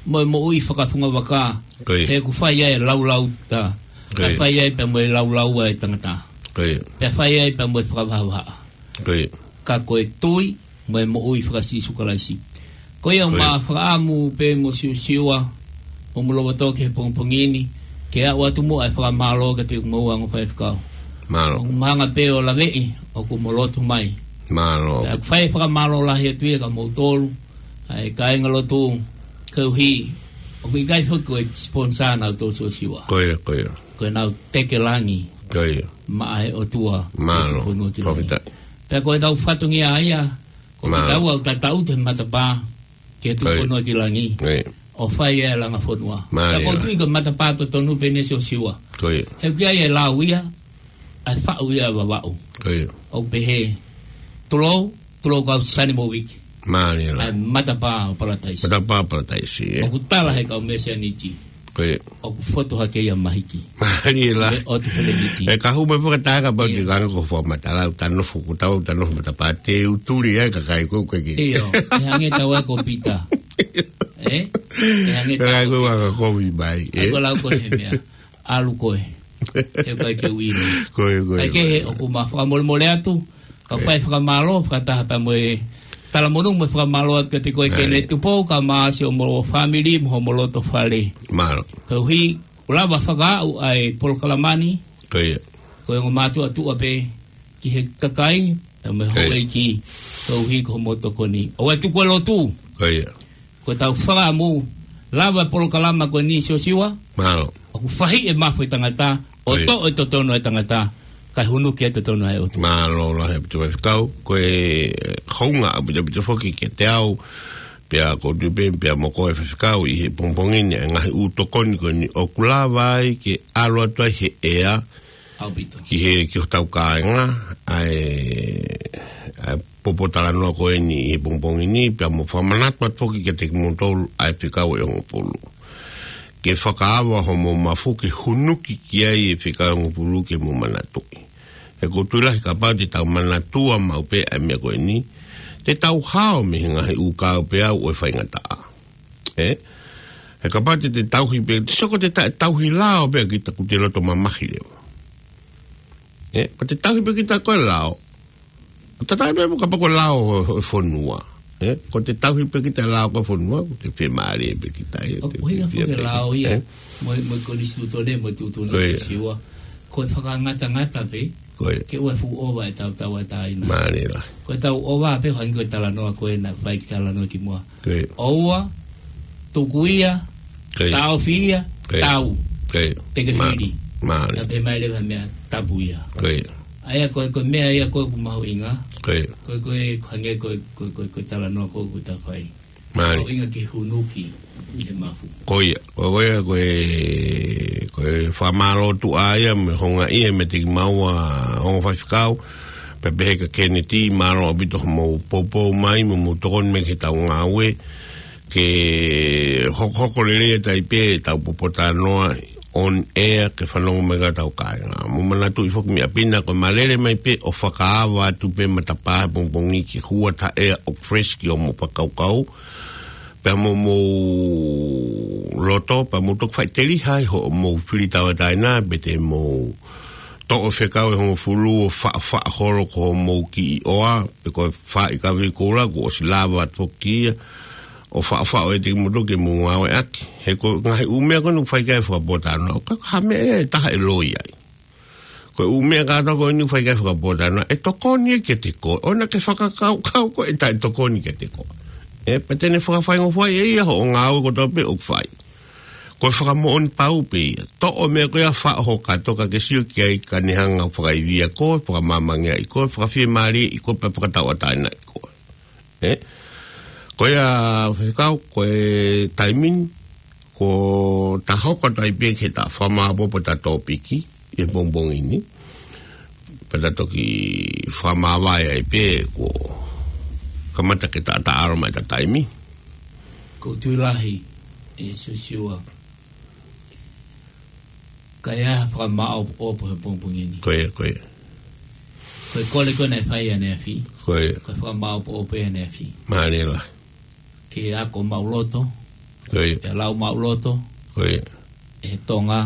Mo e moʻui fakafungavaka. Ko ia. He ʻoku fai ai e laulauta. Ko ia. Pea fai ai pea mo e laulau ʻa e tangata. Ko ia. Pea fai ai pea mo e fakavahaʻa. Ko ia. Ka ko e tui, mo e moʻui faka-Sīsū Kalaisi. Ko ia Ko ia. Ma fakaʻamu pē mo Sōsiua, ʻo mo lava toki he pongipongi ni, ke aʻu atu muʻa e fakamālō kiate kimoua ongo faifekau. Mālō. ʻOku ma hanga pē ʻo laveʻi, ʻoku mo lotu mai. Mālō. Pea ʻoku fai e fakamālō lahi atu ia kia moutolu, ʻa e kāinga lotu, koeʻuhi, ʻoku ʻikai foki ko e sponsor nautolu Sōsiua. Ko ia, ko ia. Ko ʻenau teke langi. Ko ia. Maʻa e ʻOtua. Mālō. Ki he fonua ki Langi. Fakafetaʻi. Pea ko ʻetau fatongia ia, ko Mālō. Kitaua ʻoku tau ʻi he Matapā. ke tuku Ko ia. Ono ki langi. Ko ia. ʻO fai e langa fonua. Mālie Ka ʻoku ou la. Tui ko e matapā totonu pē eni Siosiua. Ko ia. He ʻoku ʻi ai e lau ia, ʻa e faʻu ia ʻa Vavaʻu. Ko ia. ʻOku pehē, tulou, tulou kau sani mo wiki. Mālie la. ʻA e matapā ʻo Palataisi. Matapā Palataisi, ē. ʻOku tala he kau Mesianiti. Ko ia. ʻOku fotu hake ia mahiki. Mālie la. ʻE ʻotu Feleniti. ʻE ka hū mai fakataha ka pau Ia. Ki kanga ko fua matala, ʻoku tau nofo ʻoku tau, ʻoku tau nofo matapā te u tuli ai ka kai ko ke. Ia, ʻe hangē tau ai ko Pita. Ē? ʻE hangē Ka tau kai ko ai ko anga kovi mai, ʻAi ē. Ko lau ko he mea. ʻAlu ko e. He kai ke uino. Ko ia, ko ia, Kai ke ko he ia. ʻOku ma fakamolemole atu. Ka Ko ia. Fai fakamālō, fakataha pea mo e. Talamonū mo e fakamālō atu kiate koe Ko ia. Kene Tupou, ka ma si ʻo mo fāmili, mo homo loto fale. Mālō. Ka uhi, ʻoku lava fakaaʻu ʻa e polokalama ni. Ko ia. Ko e ongo mātuʻa tuʻa pē ki he kakai, pea mo e Ko ia. Houʻeiki, ka uhi ko homo tokoni. ʻOua ʻe tuku e lotu. Ko ia. Ko e tau fakaʻamu, lava e polokalama ko eni Siosiua. Mālō. ʻOku fahi e mafu e tangata, ʻo Ko ia. Toʻo e totonu e tangata, kae hunuki e totonu e ʻOtua. Mālō lahi ʻaupito faifekau, ko e hounga ʻaupito ʻaupito foki kiate au, pea ʻoku ou tui pē, pea mo koe faifekau ʻi he pongipongi ni, e ngaahi ʻū tokoni ko eni ʻoku lava ai ke ʻalu atu ai he ʻea, ʻAupito. Ki he, ki hotau kāinga, ʻa e, ʻa e popo talanoa ko eni ʻi he pongipongi ni, pea mo fakamanatu atu foki kiate kimoutolu ʻa e fekau ʻe hongofulu. Ke fakaava homo mafu ke hunuki ki ai e fekau ʻe hongofulu ke mo manatuʻi. He ʻoku ou tui lahi kapau te tau manatua maʻu pē ʻa e meʻa ko eni, te tau hao mei he ngaahi ʻū kāupeau ʻo e faingataʻa. Ē? He kapau te te tauhi pē, te soko te ta-, tauhi lao pē kita ʻoku te loto mamahi leva. Ē? Ko te tauhi pē kita ko e lao. Tata pē mo kapau ko e lao ʻo, ʻo e fonua. Ē? Ko te tauhi pē kita lao ko e fonua, ko te fiemālie pē kita, ē, ʻO te ʻuhinga fie foki pē lao kita, ia, ē? mo e, mo e konisitūtone, mo e tuʻutuʻuni Ko ia. Siosiua. Ko e fakangatangata pē, Ko ia. Ke ʻoua ʻe fuʻu ʻova e tau tauʻatāina. Mālie la. Ko e tau ʻova pē hangē ko e talanoa ko ē naʻe fai ki talanoa ki muʻa. Ko ia. ʻOua, tuku ia, Ko ia. Taʻofi ia, Ko ia. Tau. Ko ia. Te ke Mā-, fili. Mālie. Ka pehē mai leva meʻa tapu ia. Ko ia. ʻA ia ko e, ko e meʻa ia ko ē ʻoku mahuʻinga. Ko ia. Ko e, ko e, hangē ko e, ko e, ko e, ko e talanoa ko ē ʻoku ta fai. Mālie. Ko e ʻuhinga ke hunuki ʻi he mafu. Ko ia, ko ia, ko e, ko e fakamālō atu ʻa ia, mo e houngaʻia, meiate kimaua, ongo faifekau, pea pehē kia Keneti, mālō ʻaupito hoʻomou poupou mai, mo hoʻomou tokoni mai ki heʻetau ngāue, ke hokohoko lelei atu ai pē ʻetau popo talanoa, on air ke fanongo mai ki ai ʻetau kāinga. Mou manatuʻi foki meʻa pē ena ko e malele mai pē ʻo fakaava atu pē matapā he pongipongi ke hua ʻa e ʻea ʻoku fresh ki hoʻomou fakakaukau, pea mo hoʻomou loto, pea mou toki faʻiteliha ʻi hoʻomou fili tauʻatāina, pe te mou toʻo e fekau ʻe hongofulu ʻo faʻofaʻo holo ko hoʻomou kiʻi ʻoa, pe ko e faʻi kavei koula, kuo ʻosi lava atu foki ia, ʻo faʻofaʻo ʻiate kimoutolu ke mou ngāueʻaki. He ko e ngaahi ʻū meʻa ko eni ʻoku fai ki ai e fakapōtalanoa, ʻoku ʻikai ko ha meʻa ia ʻe taha ʻe loi ai. Ko e ʻū meʻa kātoa ko eni ʻoku fai ki ai e fakapōtalanoa, ʻe tokoni ia kiate koe, ʻoua naʻa ke fakakaukau ko e taʻetokoni kiate koe. Ē, pea te ne fakafaingofua ai ʻe ia hoʻo ngāue kotoa pē ʻoku fai. Ko e fakamoʻoni pau pē ia. Toʻo e meʻa ko ia faʻo ho kato ka ke sio ki ai ka ne hanga ʻo fakaivia koe, fakamāmangeaʻi koe, fakafiemālieʻi koe, pea fakatauʻatāinaʻi koe. Ē? Ko ia, faifekau, ko e taimi ni, kuo ta hoko atu ai pē ki heʻeta fakamāʻopoʻopo ʻeta tōpiki, ʻi he pongipongi ni. Pea ta toki fakamāvae ai pē, kuo kamata ke ta, ta ʻalu mai ʻeta taimi. ʻOku ou tui lahi, ʻe Siosiua. Ka ʻi ai ha fakamāʻopoʻopo he pongipongi ni. Ko ia, ko ia. Ko e kole ko ē naʻe fai ʻaneafi. Ko ia. Ko e fakamāʻopoʻopo ʻaneafi. Mālie la. Ke ako maʻuloto. Ko ia. Ke lau maʻuloto. Ko ia. ʻE Tonga.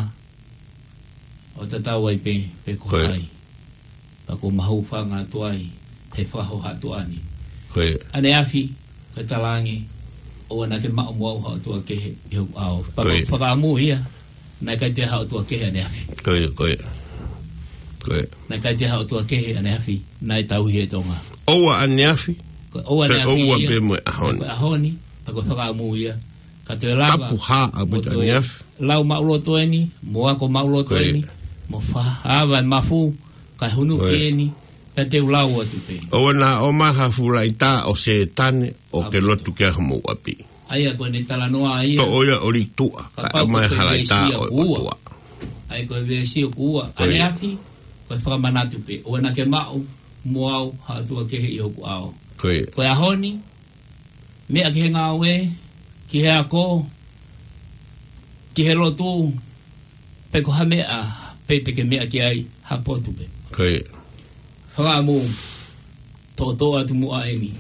ʻO tatau ai pē, pe ko Ko ia. Hai. Pea ʻoku mau hūfanga atu ai, he fakahoha atu ʻeni. Ko ia. ʻAneafi, ko e talaange, ʻoua naʻa ke maʻu mo au ha ʻotua kehe ʻi hoku ʻao. Pea Ko ia. Ko e fakaʻamu ia, naʻe ʻikai toe ha ʻotua kehe ʻaneafi. Ko ia, ko ia. Ko ia. Naʻe ʻikai toe ha ʻotua kehe ʻaneafi, naʻe tauhi ʻe Tonga. ʻOua ʻaneafi, Ko e ʻoua pe ʻaneafi ʻoua ia, pē mo e ʻaho ni. Ko e ʻaho ni, pea ko e fakaʻamu ia. Ka toe lava, Tapu hā ʻaupito mo toe ʻaneafi. Lau maʻuloto ʻeni, mo ako maʻuloto Ko ia. ʻEni, mo fakaava e mafu, kae hunuki Ko ia. ʻEni, Pea te u lau atu pē. ʻOua naʻa ʻomai ha fuʻu laʻitā ʻo Sētane ʻo ke lotu ki ai homou ʻapi. ʻA ia ko ʻene talanoa ia. Toʻo ia ʻo lī tuʻa, kae ʻomai ha laʻitā ʻo e ʻOtua. ʻA ia ko e veesi ʻoku ua. Ko ia. ʻAneafi, ko e fakamanatu pē. ʻOua naʻa ke maʻu mo au ha ʻotua kehe ʻi hoku ʻao. Ko ia. Ko e ʻaho ni, meʻa ki he ngāue, ki he ako, ki he lotu, pe ko ha meʻa pē te ke meʻa ki ai ha potu pē. Ko ia. Fakaʻamu, toʻotoʻo atu muʻa eni.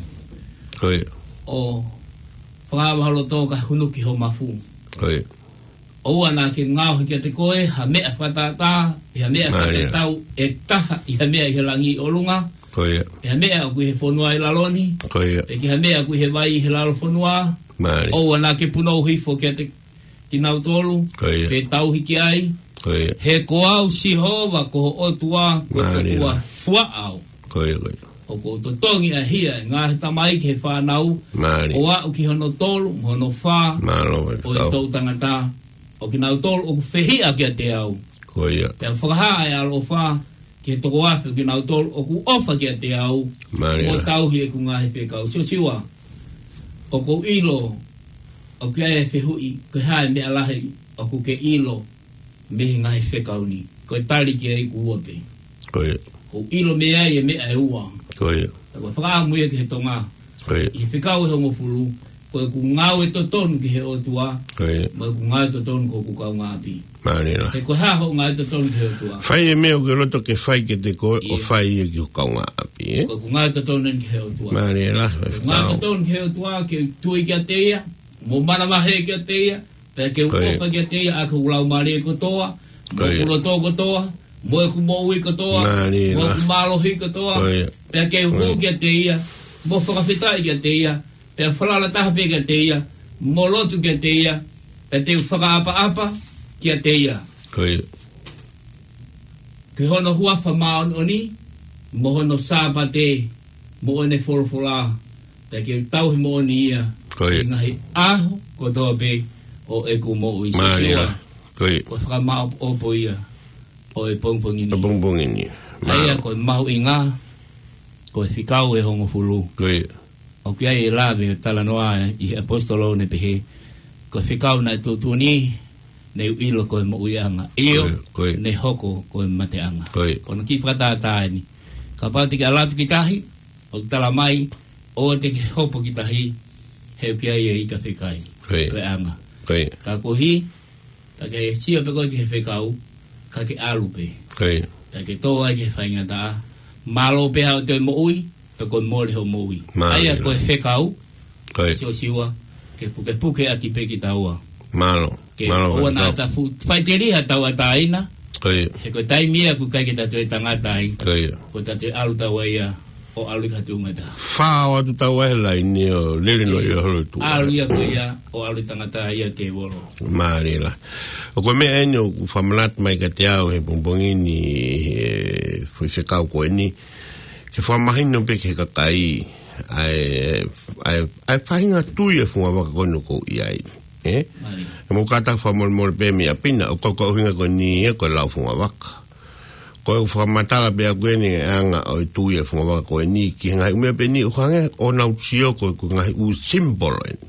Ko ia. ʻO fakaava ho loto kae hunu ki ho mafu. Ko ia. ʻOua naʻa ke ngaohi kiate koe ha meʻa fakatātā, pe ha meʻa fakatatau ʻe taha ʻi ha meʻa ʻi he langi ʻi ʻolunga, pe ha meʻa ʻoku ʻi he fonua ʻi lalo ni, pe ki ha meʻa ʻoku ʻi he vai ʻi he lalo fonua. ʻOua naʻa ke punou hifo kiate kinautolu, pe tauhi ki ai. He ko au Sihova ko ho ʻOtua, ko e ʻOtua fuaʻau. ʻOku ou totongi ʻa e hia ʻa e ngaahi tamai ki he fānau, ʻo aʻu ki hono tolu mo hono fā ʻo e toʻu tangata, ʻo kinautolu ʻoku fehiʻa kiate au. Pea fakahā ʻa e ʻaloʻofa ki he toko afe ʻo kinautolu ʻoku ʻofa kiate au, mo tauhi ʻeku ngaahi fekau. Siosiua, ʻoku ou ʻilo ʻoku ʻi ai e fehuʻi, ko e hā e meʻa lahi ʻoku ke ʻilo mei he ngaahi fekau ni? Ko e tali ki ai ʻoku ua pē. ʻOku ou ʻilo mei ai e meʻa ʻe ua. Pea ko e fakaʻamu ia ki he Tonga. ʻI he fekau ʻe hongofulu, ko ʻeku ngāue totonu ki he ʻOtua, mo ʻeku ngāue totonu ki hoku kaungāʻapi. He ko e hā hoʻo ngāue totonu ki he ʻOtua? Fai e meʻa ʻoku ke loto ke fai kiate koe, ʻo fai ia ki ho kaungāʻapi, ē? Ko ʻeku ngāue totonu eni ki he ʻOtua. Ko ʻeku ngāue totonu ki he ʻOtua, ke tui kiate ia, mo manavahē kiate ia, pea ke u ʻofa kiate ia ʻaki hoku laumālie kotoa, mo hoku loto kotoa, mo ʻeku moʻui kotoa, mo ʻeku mālohi kotoa, pea ke u hū kiate ia, mo fakafetaʻi kiate ia, pea falala taha pē kiate ia, mo lotu kiate ia, pea te u fakaʻapaʻapa kiate ia. Ki hono huafa māʻoniʻoni, mo hono Sāpate, mo ʻene folofola, pea ke u tauhi moʻoni ia ʻi he ngaahi ʻaho kotoa pē ʻo ʻeku moʻui. Ko e fakamāʻopoʻopo ia ʻo e pongipongi ni. ʻA ia ko e mahuʻinga, ko e fekau ʻe hongofulu. ʻOku ʻi ai e lave ʻo e talanoa ʻi he ʻaposetolo ʻo ne pehē, ko e fekau naʻe tuʻutuʻuni, ne u ʻilo ko e moʻuiʻanga. ʻIo, ne hoko ko e mateʻanga. Ko hono kiʻi fakatātā eni. Kapau te ke ʻalu atu ki tahi, ʻoku tala mai, ʻoua te ke hopo ki tahi, he ʻoku ʻi ai e ika fekai. Ko e anga. Ka koeʻuhi, ka ke sio pē koe ki he fekau, ka ke ʻalu pē. Ka ke tō ai ki he faingataʻa, mālō pē haʻo toe moʻui, pea ko e mole hoʻo moʻui. ʻA ia ko e fekau, Siosiua, ke pukepuke ʻaki pē kitaua. Ke ʻoua naʻa ta fu-, faiteliha tauʻatāina, he ko e taimi ia ʻoku ʻikai ke ta toe tangata ai, ko e ta toe ʻalu taua ia, ʻo ʻalu ki ha tuʻunga ʻe taha. Fā ʻo atu taua he laine ʻo lele noa ia holo tu. ʻAlu ia ko ia, ʻo ʻalu tangata ia te volo. Mālie lahi. ʻOku meʻa eni ʻoku fakamanatu mai kiate au he pongipongi ni, he foʻi fekau ko eni, ke fakamahino pē ki he kakai ʻa e, ʻa e, ʻa e faʻahinga tui e fungavaka ko eni ʻoku ou ʻi ai. Ē? Mālie. He mou kātaki fakamolemole pē mei ʻapi na, ʻoku kau ko e ʻuhinga ko eni ia ko e lau fungavaka. Ko e fakamatala pē ʻaku eni e anga ʻo e tui e fungavaka ko eni ki he ngaahi ʻū meʻa pē eni ʻoku hangē ʻo nau sio ko e, ko e ngaahi ʻū symbol eni.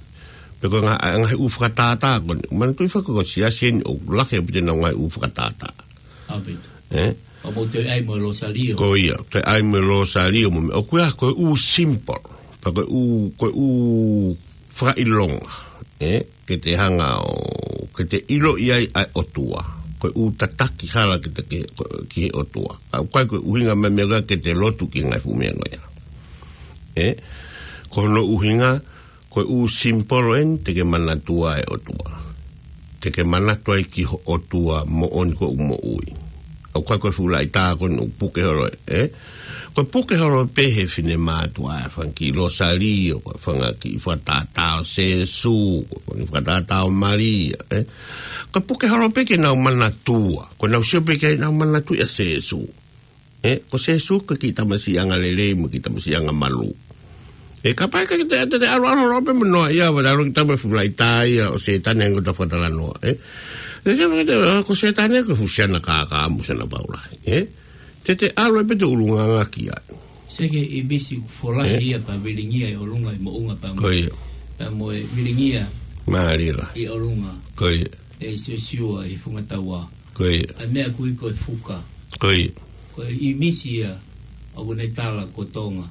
Pe ko e ngaahi, ngaahi ʻū fakatātā ko eni. Manatuʻi foki ko e siasi eni ʻoku lahi ʻaupito ʻenau ngaahi ʻū fakatātā. ʻAupito. Ē? ʻO mou toe ʻai mo e Losalio. Ko ia, toe ʻai mo e Losalio mo e meʻa. ʻOku ʻi ai ko e ʻū symbol. Pea ko e ʻū, ko e ʻū fakaʻilonga. Ē? Ke te hanga ʻo, ke te ʻiloʻi ai ʻa e ʻOtua. Ko e ʻū tataki hala ke te ke, ko, ki he ʻOtua. Ka ʻoku ʻikai ko e ʻuhinga mai meʻa ke te lotu ki he ngaahi fuʻu meʻa ko ia. Ē? Ko hono ʻuhinga, ko e ʻū symbol eni te ke manatua e ʻOtua. Te ke manatu ai ki ho ʻOtua moʻoni ko ʻeku moʻui. ʻOku ʻikai ko e fuʻu laʻitā ko eni ʻoku puke holo, ē? Ko e puke holo pē he finemātuʻa e fanga kiʻi Losalio, ko e fanga kiʻi fakatātā ʻo Sēsū, ko e fanga kiʻi fakatātā ʻo Malia, ē? Ko e puke holo pē ke nau manatua, ko ʻenau sio pē ke nau manatuʻi ʻa Sēsū. Ē, ko Sēsū ko e kiʻi tamasiʻi angalelei mo e kiʻi tamasiʻi angamalū. Ē, kapau ʻe ʻikai ke te, te, te ʻalu, ʻalu, ʻalu pē mo noa ia, ʻo ʻalu ki he tama fuʻu laʻitā ia ʻo Sētane ʻoku ta fakatalanoa, ē. Ē, te, te, te, ko Sētane ko e fuʻu siana kākā mo siana paula, ē. Te te ʻalu ai pē te ʻulungaanga ki ai. Seke ʻimisi ʻoku folahi ia pea vilingia ʻi ʻolunga ʻi moʻunga pea mo. Ko ia. Pea mo e vilingia. Mālie lahi. ʻI ʻolunga. Ko ia. ʻE Siosiua ʻi he funga taua. Ko ia. ʻA e meʻa ʻoku ui ko e fuka. Ko ia. Ko e ʻimisi ia ʻoku ne tala ko Tonga.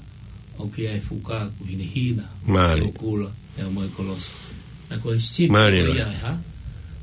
ʻOku ʻi ai e fuka ʻoku hinehina. Mālie. ʻOku kula. Pea mo e kolosi. Naʻe ko e simipolo ia e hā?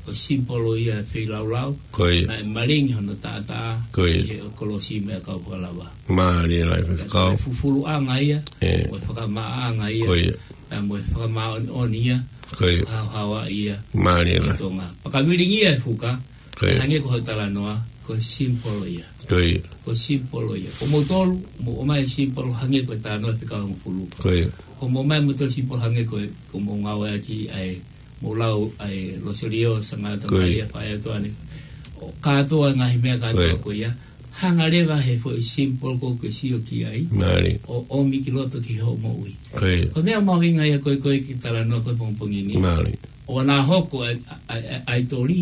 Ko e simipolo ia e feilaulau. Ko ia. Naʻe malingi hono taʻataʻa. Ko ia. ʻI he kolosi mo e kau fakalava. Mālie lahi. Pea ko e fufuluʻanga ia. ʻE. Mo e fakamaʻaʻanga ia. Ko ia. Pea mo e fakamāʻoniʻoni ia. Ko ia. Haohaoa ia. Mālie lahi. Tonga. Pea ka vilingia e fuka. Ko ia. Hangē ko hoʻo talanoa, ko e simipolo ia. Ko ia. Ko e simipolo ia. Ko moutolu, mou ʻomai e simipolo hangē ko e talanoa e fekau hongofulu. Ko ia. Ko mou ʻomai moutolu simipolo hangē ko e, ko mou ngāueʻaki ʻa e, mou lau ʻa e Loselio, Sangata Ko ia. Malia, Faʻē ʻOtua ni. ʻO kātoa ngaahi meʻa kātoa Ko ia. Ko ia. Hanga leva he foʻi simipolo ko ē ke sio ki ai. Mālie. ʻO ʻomi ki loto ki hoʻo moʻui. Ko ia. Ko e meʻa mahuʻinga ia ko e, ko e kiʻi talanoa ko e pongipongi ni. Mālie. ʻO ʻana hoko ʻa e, ʻa e, ʻa e ʻaitoli,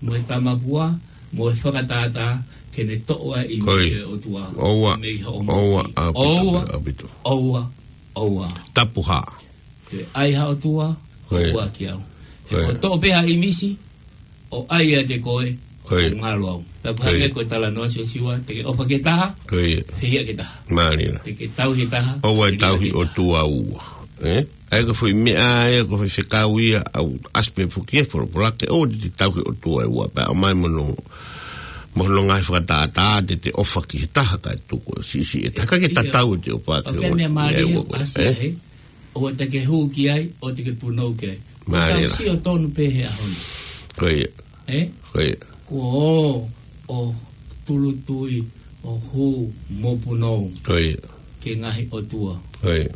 mo e tamapua, mo e fakatātā, ke ne toʻo ʻa e ʻimisi ʻo e ʻOtua. ʻOua. Mei hoʻo moʻui. ʻOua, ʻaupito, ʻOua. ʻAupito. ʻOua. ʻOua. Tapu hā. Te ʻai ha ʻOtua, Ko ia. ʻOua ki au. He Ko ia. ʻoku toʻo pē ha ʻimisi, ʻo ʻai ʻiate koe, Ko ia. ʻo ngalo au. Pea ko Ko ia. hangē ko e talanoa Siosiua, te ke ʻofa ki he taha, Ko ia. fehiʻa ki he taha. Mālie lahi. Te ke tauhi e taha, ʻOua ʻe fehiʻa tauhi ki he taha. ʻOtua ua. ʻE? ʻA ia ko e foʻi meʻa ia, ko e foʻi fekau ia, ʻoku ʻasi pē foki he folofola ke ʻoua te te tauhi ʻOtua ʻe ua, pea ʻomai mo hono, mo hono ngaahi fakatātā, te te ʻofa ki he taha kae tuku, siʻisiʻi e taha. Ka ke Ia. tatau ʻete ʻofa ki he ʻOku ua. meʻa mālie Ia ua ko ē. ʻasi ʻE? he, ʻoua te ke hū ki ai, ʻoua te ke punou ki ai. Mālie Tau lahi. sio tonu pē he ʻaho ni. Ko ia. ʻE? Ko ia. Kuo ʻo, ʻo tulutui, ʻo hū mo punou. Ko ia. Ki he ngaahi ʻotua. Ko ia.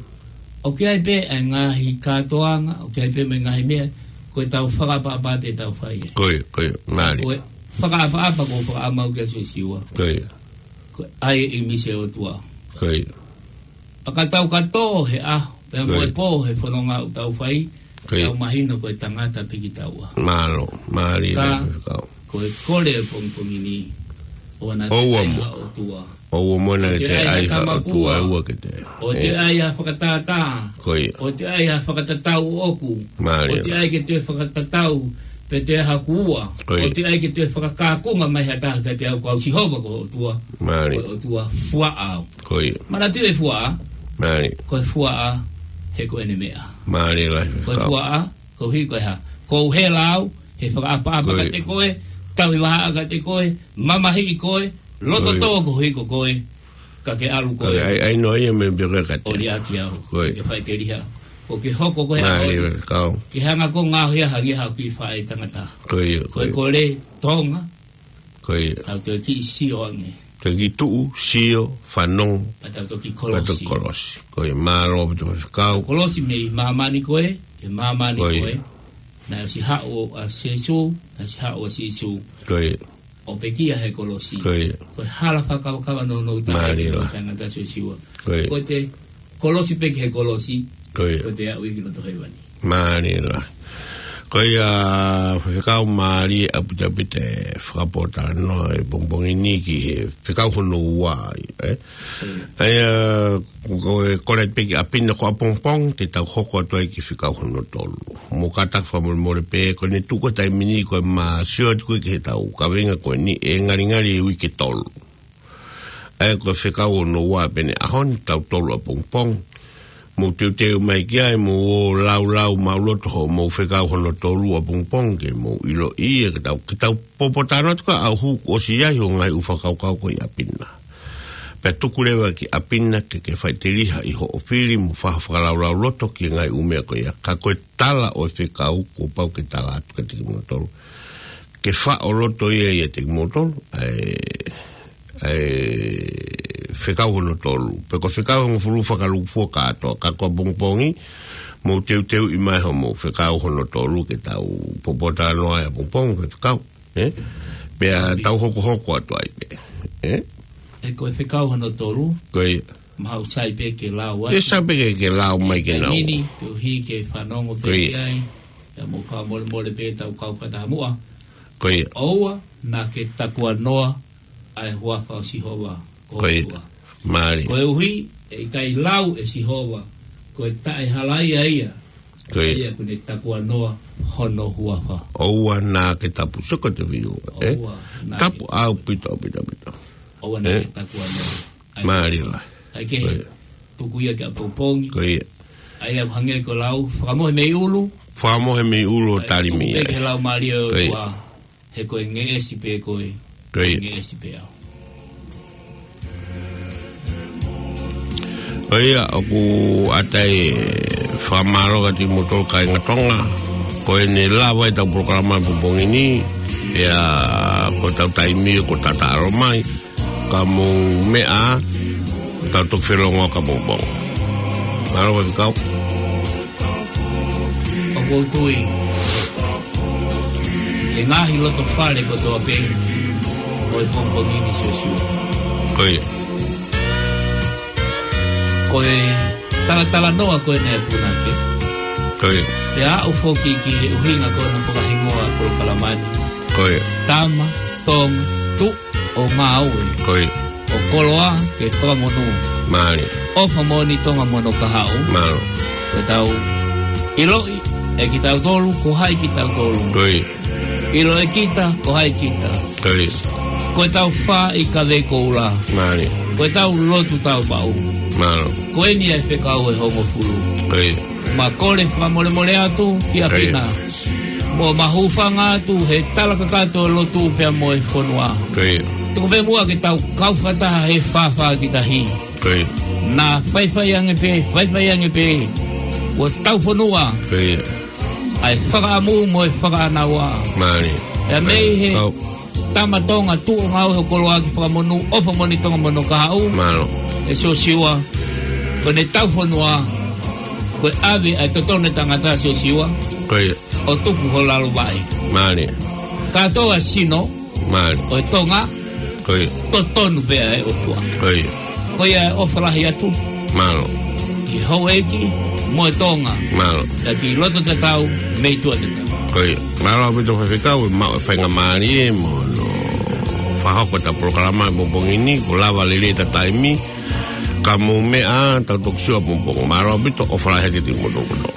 ʻOku ʻi ai pē ʻa e ngaahi kātoanga, ʻoku ʻi ai pē mo e ngaahi meʻa, ko e tau fakaʻapaʻapa te tau fai ai. Ko ia, ko ia, mālie. Ko e fakaʻapaʻapa ko e fakaʻamau kia Siosiua. Ko ia. Ko e ʻai e ʻimisi ʻo e ʻOtua. Ko ia. Pea ka tau ka tō he ʻaho, pea mo Ko e ia. pō he fononga ʻoku tau fai, Ko ia. tau mahino ko e tangata pē kitaua. Mālō, mālie Ka, lahi fekau. ko e kole e pongipongi ni, ʻoua naʻa te ʻOua ʻai mo. ha ʻOtua. ʻOua mo naʻa ʻOua te te ʻai ʻai ha ha tamapua. ʻOtua ʻe ua ke te. ʻOua te ʻE. ʻai ha fakatātā. Ko ia. ʻOua te ʻai ha fakatatau ʻoku. Mālie ʻOua te lahi. ʻai ke te fakatatau, pe te ha kuua. Ko ia. ʻOua te ʻai ke te fakakākunga mai ha taha kiate au ko au Sihova ko ho ʻOtua. Mālie. Ko e ʻOtua fuaʻa au. Ko ia. Manatuʻi e fuaʻa. Mālie. Ko e fuaʻa he ko ʻene meʻa. Mālie lahi Ko e fekau. fuaʻa, koeʻuhi ko e hā. Ko u hela au, he fakaʻapaʻapa Ko ia. kiate koe, tauhi vahaʻa kiate koe, mamahiʻi koe, loto Ko ia. tō koeʻuhi ko koe, ka ke ʻalu Ko koe. ia, ʻai, ʻai noa ia mei pē koe kiate. ʻO liʻaki au, Ko ia. ke faʻiteliha. ʻO ke hoko koe Mālie ʻaho ni. fekau. Ke hanga ko ngaohi ia hangē ha kiʻi faʻē tangata. Ko ia, Ko e ko ia. kole, Tonga, Ko ia. Tau toe kiʻi sio ange. Toe kiʻi tuʻu, sio, fanongo. Pea tau toki Pea tau kolosi. kolosi. Ko ia, mālō ʻaupito fekau. Kolosi mei māmani ko ē, ke māmani Ko ia. ko ē. Naʻe ʻosi haʻu ʻa Sīsū, naʻe ʻosi haʻu ʻa Sīsū. Ko ia. ʻO pekia he kolosi. Ko ia. Ko e hala fakakavakava nounou taha Mālie ki he lahi. tangata Siosiua. Ko ia. Ko e te kolosi pē ki he kolosi. Ko ia. Ko e te aʻu ia ki loto hēvani. Mālie lahi. Ko ia, fekau mālie ʻaupito ʻaupito e fakapōtalanoa e pongipongi ni ki he fekau hono ua, ʻe? ʻA ia, ko e kole pē ki ʻapi na ko ʻapongipongi, te tau hoko atu ai ki he fekau hono tolu. Mou kātaki fakamolemole pē, ko ʻene tuʻu ko e taimi ni, ko e mā sio atu ko ē ki he tau kaveinga ko eni ʻe ngalingali e uike tolu. ʻA ia ko e fekau hono ua pē ʻeni ʻaho ni, tautolu ʻapongipongi. Mou teuteu mai ki ai, mou ō laulau maʻuloto hoʻomou fekau hono tolu ʻapongipongi, ke mou ʻiloʻi ia ke tau, ke tau pōpōtalanoa atu ka ʻoku hū kuo ʻosi ai hoʻo ngaahi ʻū fakakaukau ko ē ʻi ʻapi na. Pea tuku leva ki ʻapi na ke ke faʻiteliha ʻi hoʻo fili mo faʻa fakalaulauloto ki he ngaahi ʻū meʻa ko ia. Ka ko e tala ʻo e fekau, kuo pau ke tala atu kiate kimoutolu. Ke faʻo loto ia ʻiate kimoutolu, ʻa e, ʻa e fekau hono tolu. Pe ko e fekau hongofulu fakalūkufua kātoa, ka ko ʻapongipongi, mou teuteuʻi mai hoʻomou fekau hono tolu ke tau pōpōtalanoa ai ʻapongipongi, ko e fekau, ʻe? Pea tau hokohoko atu ai pē, ʻe? ʻE ko e fekau hono tolu. Ko ia. Mahalo sai pē ke lau atu. ʻE sai pē ke, ke lau mai ke nau. Taimi ni, koeʻuhi ke fanongo pē Ko ia. ki ai. Pea mou fakamolemole pē tau kau fakataha muʻa. Ko ia. ʻOua naʻa ke takuanoa ʻa e huafa ʻo Sihova. Ko ia. ʻOtua. Mālie. Koeʻuhi, ʻe ʻikai lau ʻe Sihova, ko e taʻehalaia ia. Ko ia. Ia ʻoku ne takuanoa hono huafa. ʻOua naʻa ke tapu, soko te viu, ē? ʻOua naʻa Tapu ke ʻaupito, ʻaupito, ʻaupito. ʻOua naʻa Ē? ke takuanoa. ʻAi Mālie ke la. ʻAi ke Ko ia. tuku ia ke ʻapongipongi. Ko ia. ʻAi ʻaku hangē ko e lau, fakamohe mei ʻulu. Fakamohe mei ʻulu ʻo ʻAi tali tuku mei pē ai. ke lau mālie ʻo Ko ia. ʻOtua. He ko e ngeʻesi pē koe, Ko ia. ngeʻesi pē au. Ko ia, ʻoku ʻatā e fakamālō kiate kimoutolu kāinga Tonga. Ko ʻene lava ʻetau polokalama pongipongi ni, ʻa ia ko ʻetau taimi ʻoku tataʻalo mai. Ka mou meʻa, tau toki felongoaki ʻapongipongi. Mālō, Faifekau. ʻOku ou tui, he ngaahi loto fale kotoa pē, ʻo e pongipongi ni Siosiua. Ko ia. Ko e talatalanoa ko eni ʻa e punake. Ko ia. ʻE aʻu foki ki he ʻuhinga ko ena fakahingoa polokalama ni. Ko ia. Tama, Tonga, tuʻu ʻo ngāue. Ko ia. ʻO koloa ke fakamonū. Mālie. ʻOfa moʻoni Tonga mo hono kahaʻu. Mālō. Ko ʻetau ʻiloʻi ʻe kitautolu, ko hai kitautolu. Ko ia. ʻIlo ʻe kita, ko hai kita. Ko ia. Ko ʻetau fā ʻi Kavei Koula. Mālie. Ko ʻetau lotu taupaʻu. Mālō. Ko eni ʻa e fekau ʻe hongofulu. Ko ia. Ma kole fakamolemole atu kia Ko ia. Pina. Mo ma hūfanga atu he tala kakato e lotu pea mo e fonua. Ko ia. Tuku pē muʻa ke tau kau fakataha he fāfā ki tahi. Ko ia. Naʻa faifai ange pē, faifai ange pē. ʻO tau fonua. Ko ia. ʻA e fakaʻamu mo e fakaʻānaua. Mālie. ʻE mei he Kau. Tama Tonga tuʻu ʻo ngāue ʻo koloa ke fakamonū, ʻofa moʻoni Tonga mo hono kahaʻu. Mālō. ʻE Siosiua, ko ʻene tau fonua, ko e ʻave ʻa e totonu e tangata Siosiua. Ko ia. ʻO tuku ho lalo vaʻe. Mālie. Kātoa sino, Mālie. ʻo e Tonga, Ko ia. totonu pē ʻa e ʻOtua. Ko ia. Ko ia e ʻofa lahi atu. Mālō. Ki houʻeiki, mo e Tonga. Mālō. Ka ki loto tatau, mei tuʻa tatau. Ko ia. Mālō ʻaupito Faifekau, ʻe maʻu e faingamālie, mo hono fakahoko ʻetau polokalama he pongipongi ni, kuo lava lelei ʻeta taimi, ka mou meʻa, tau toki sio ʻapongipongi. Mālō ʻaupito, ʻofa lahi atu kiate kimoutolu kotoa.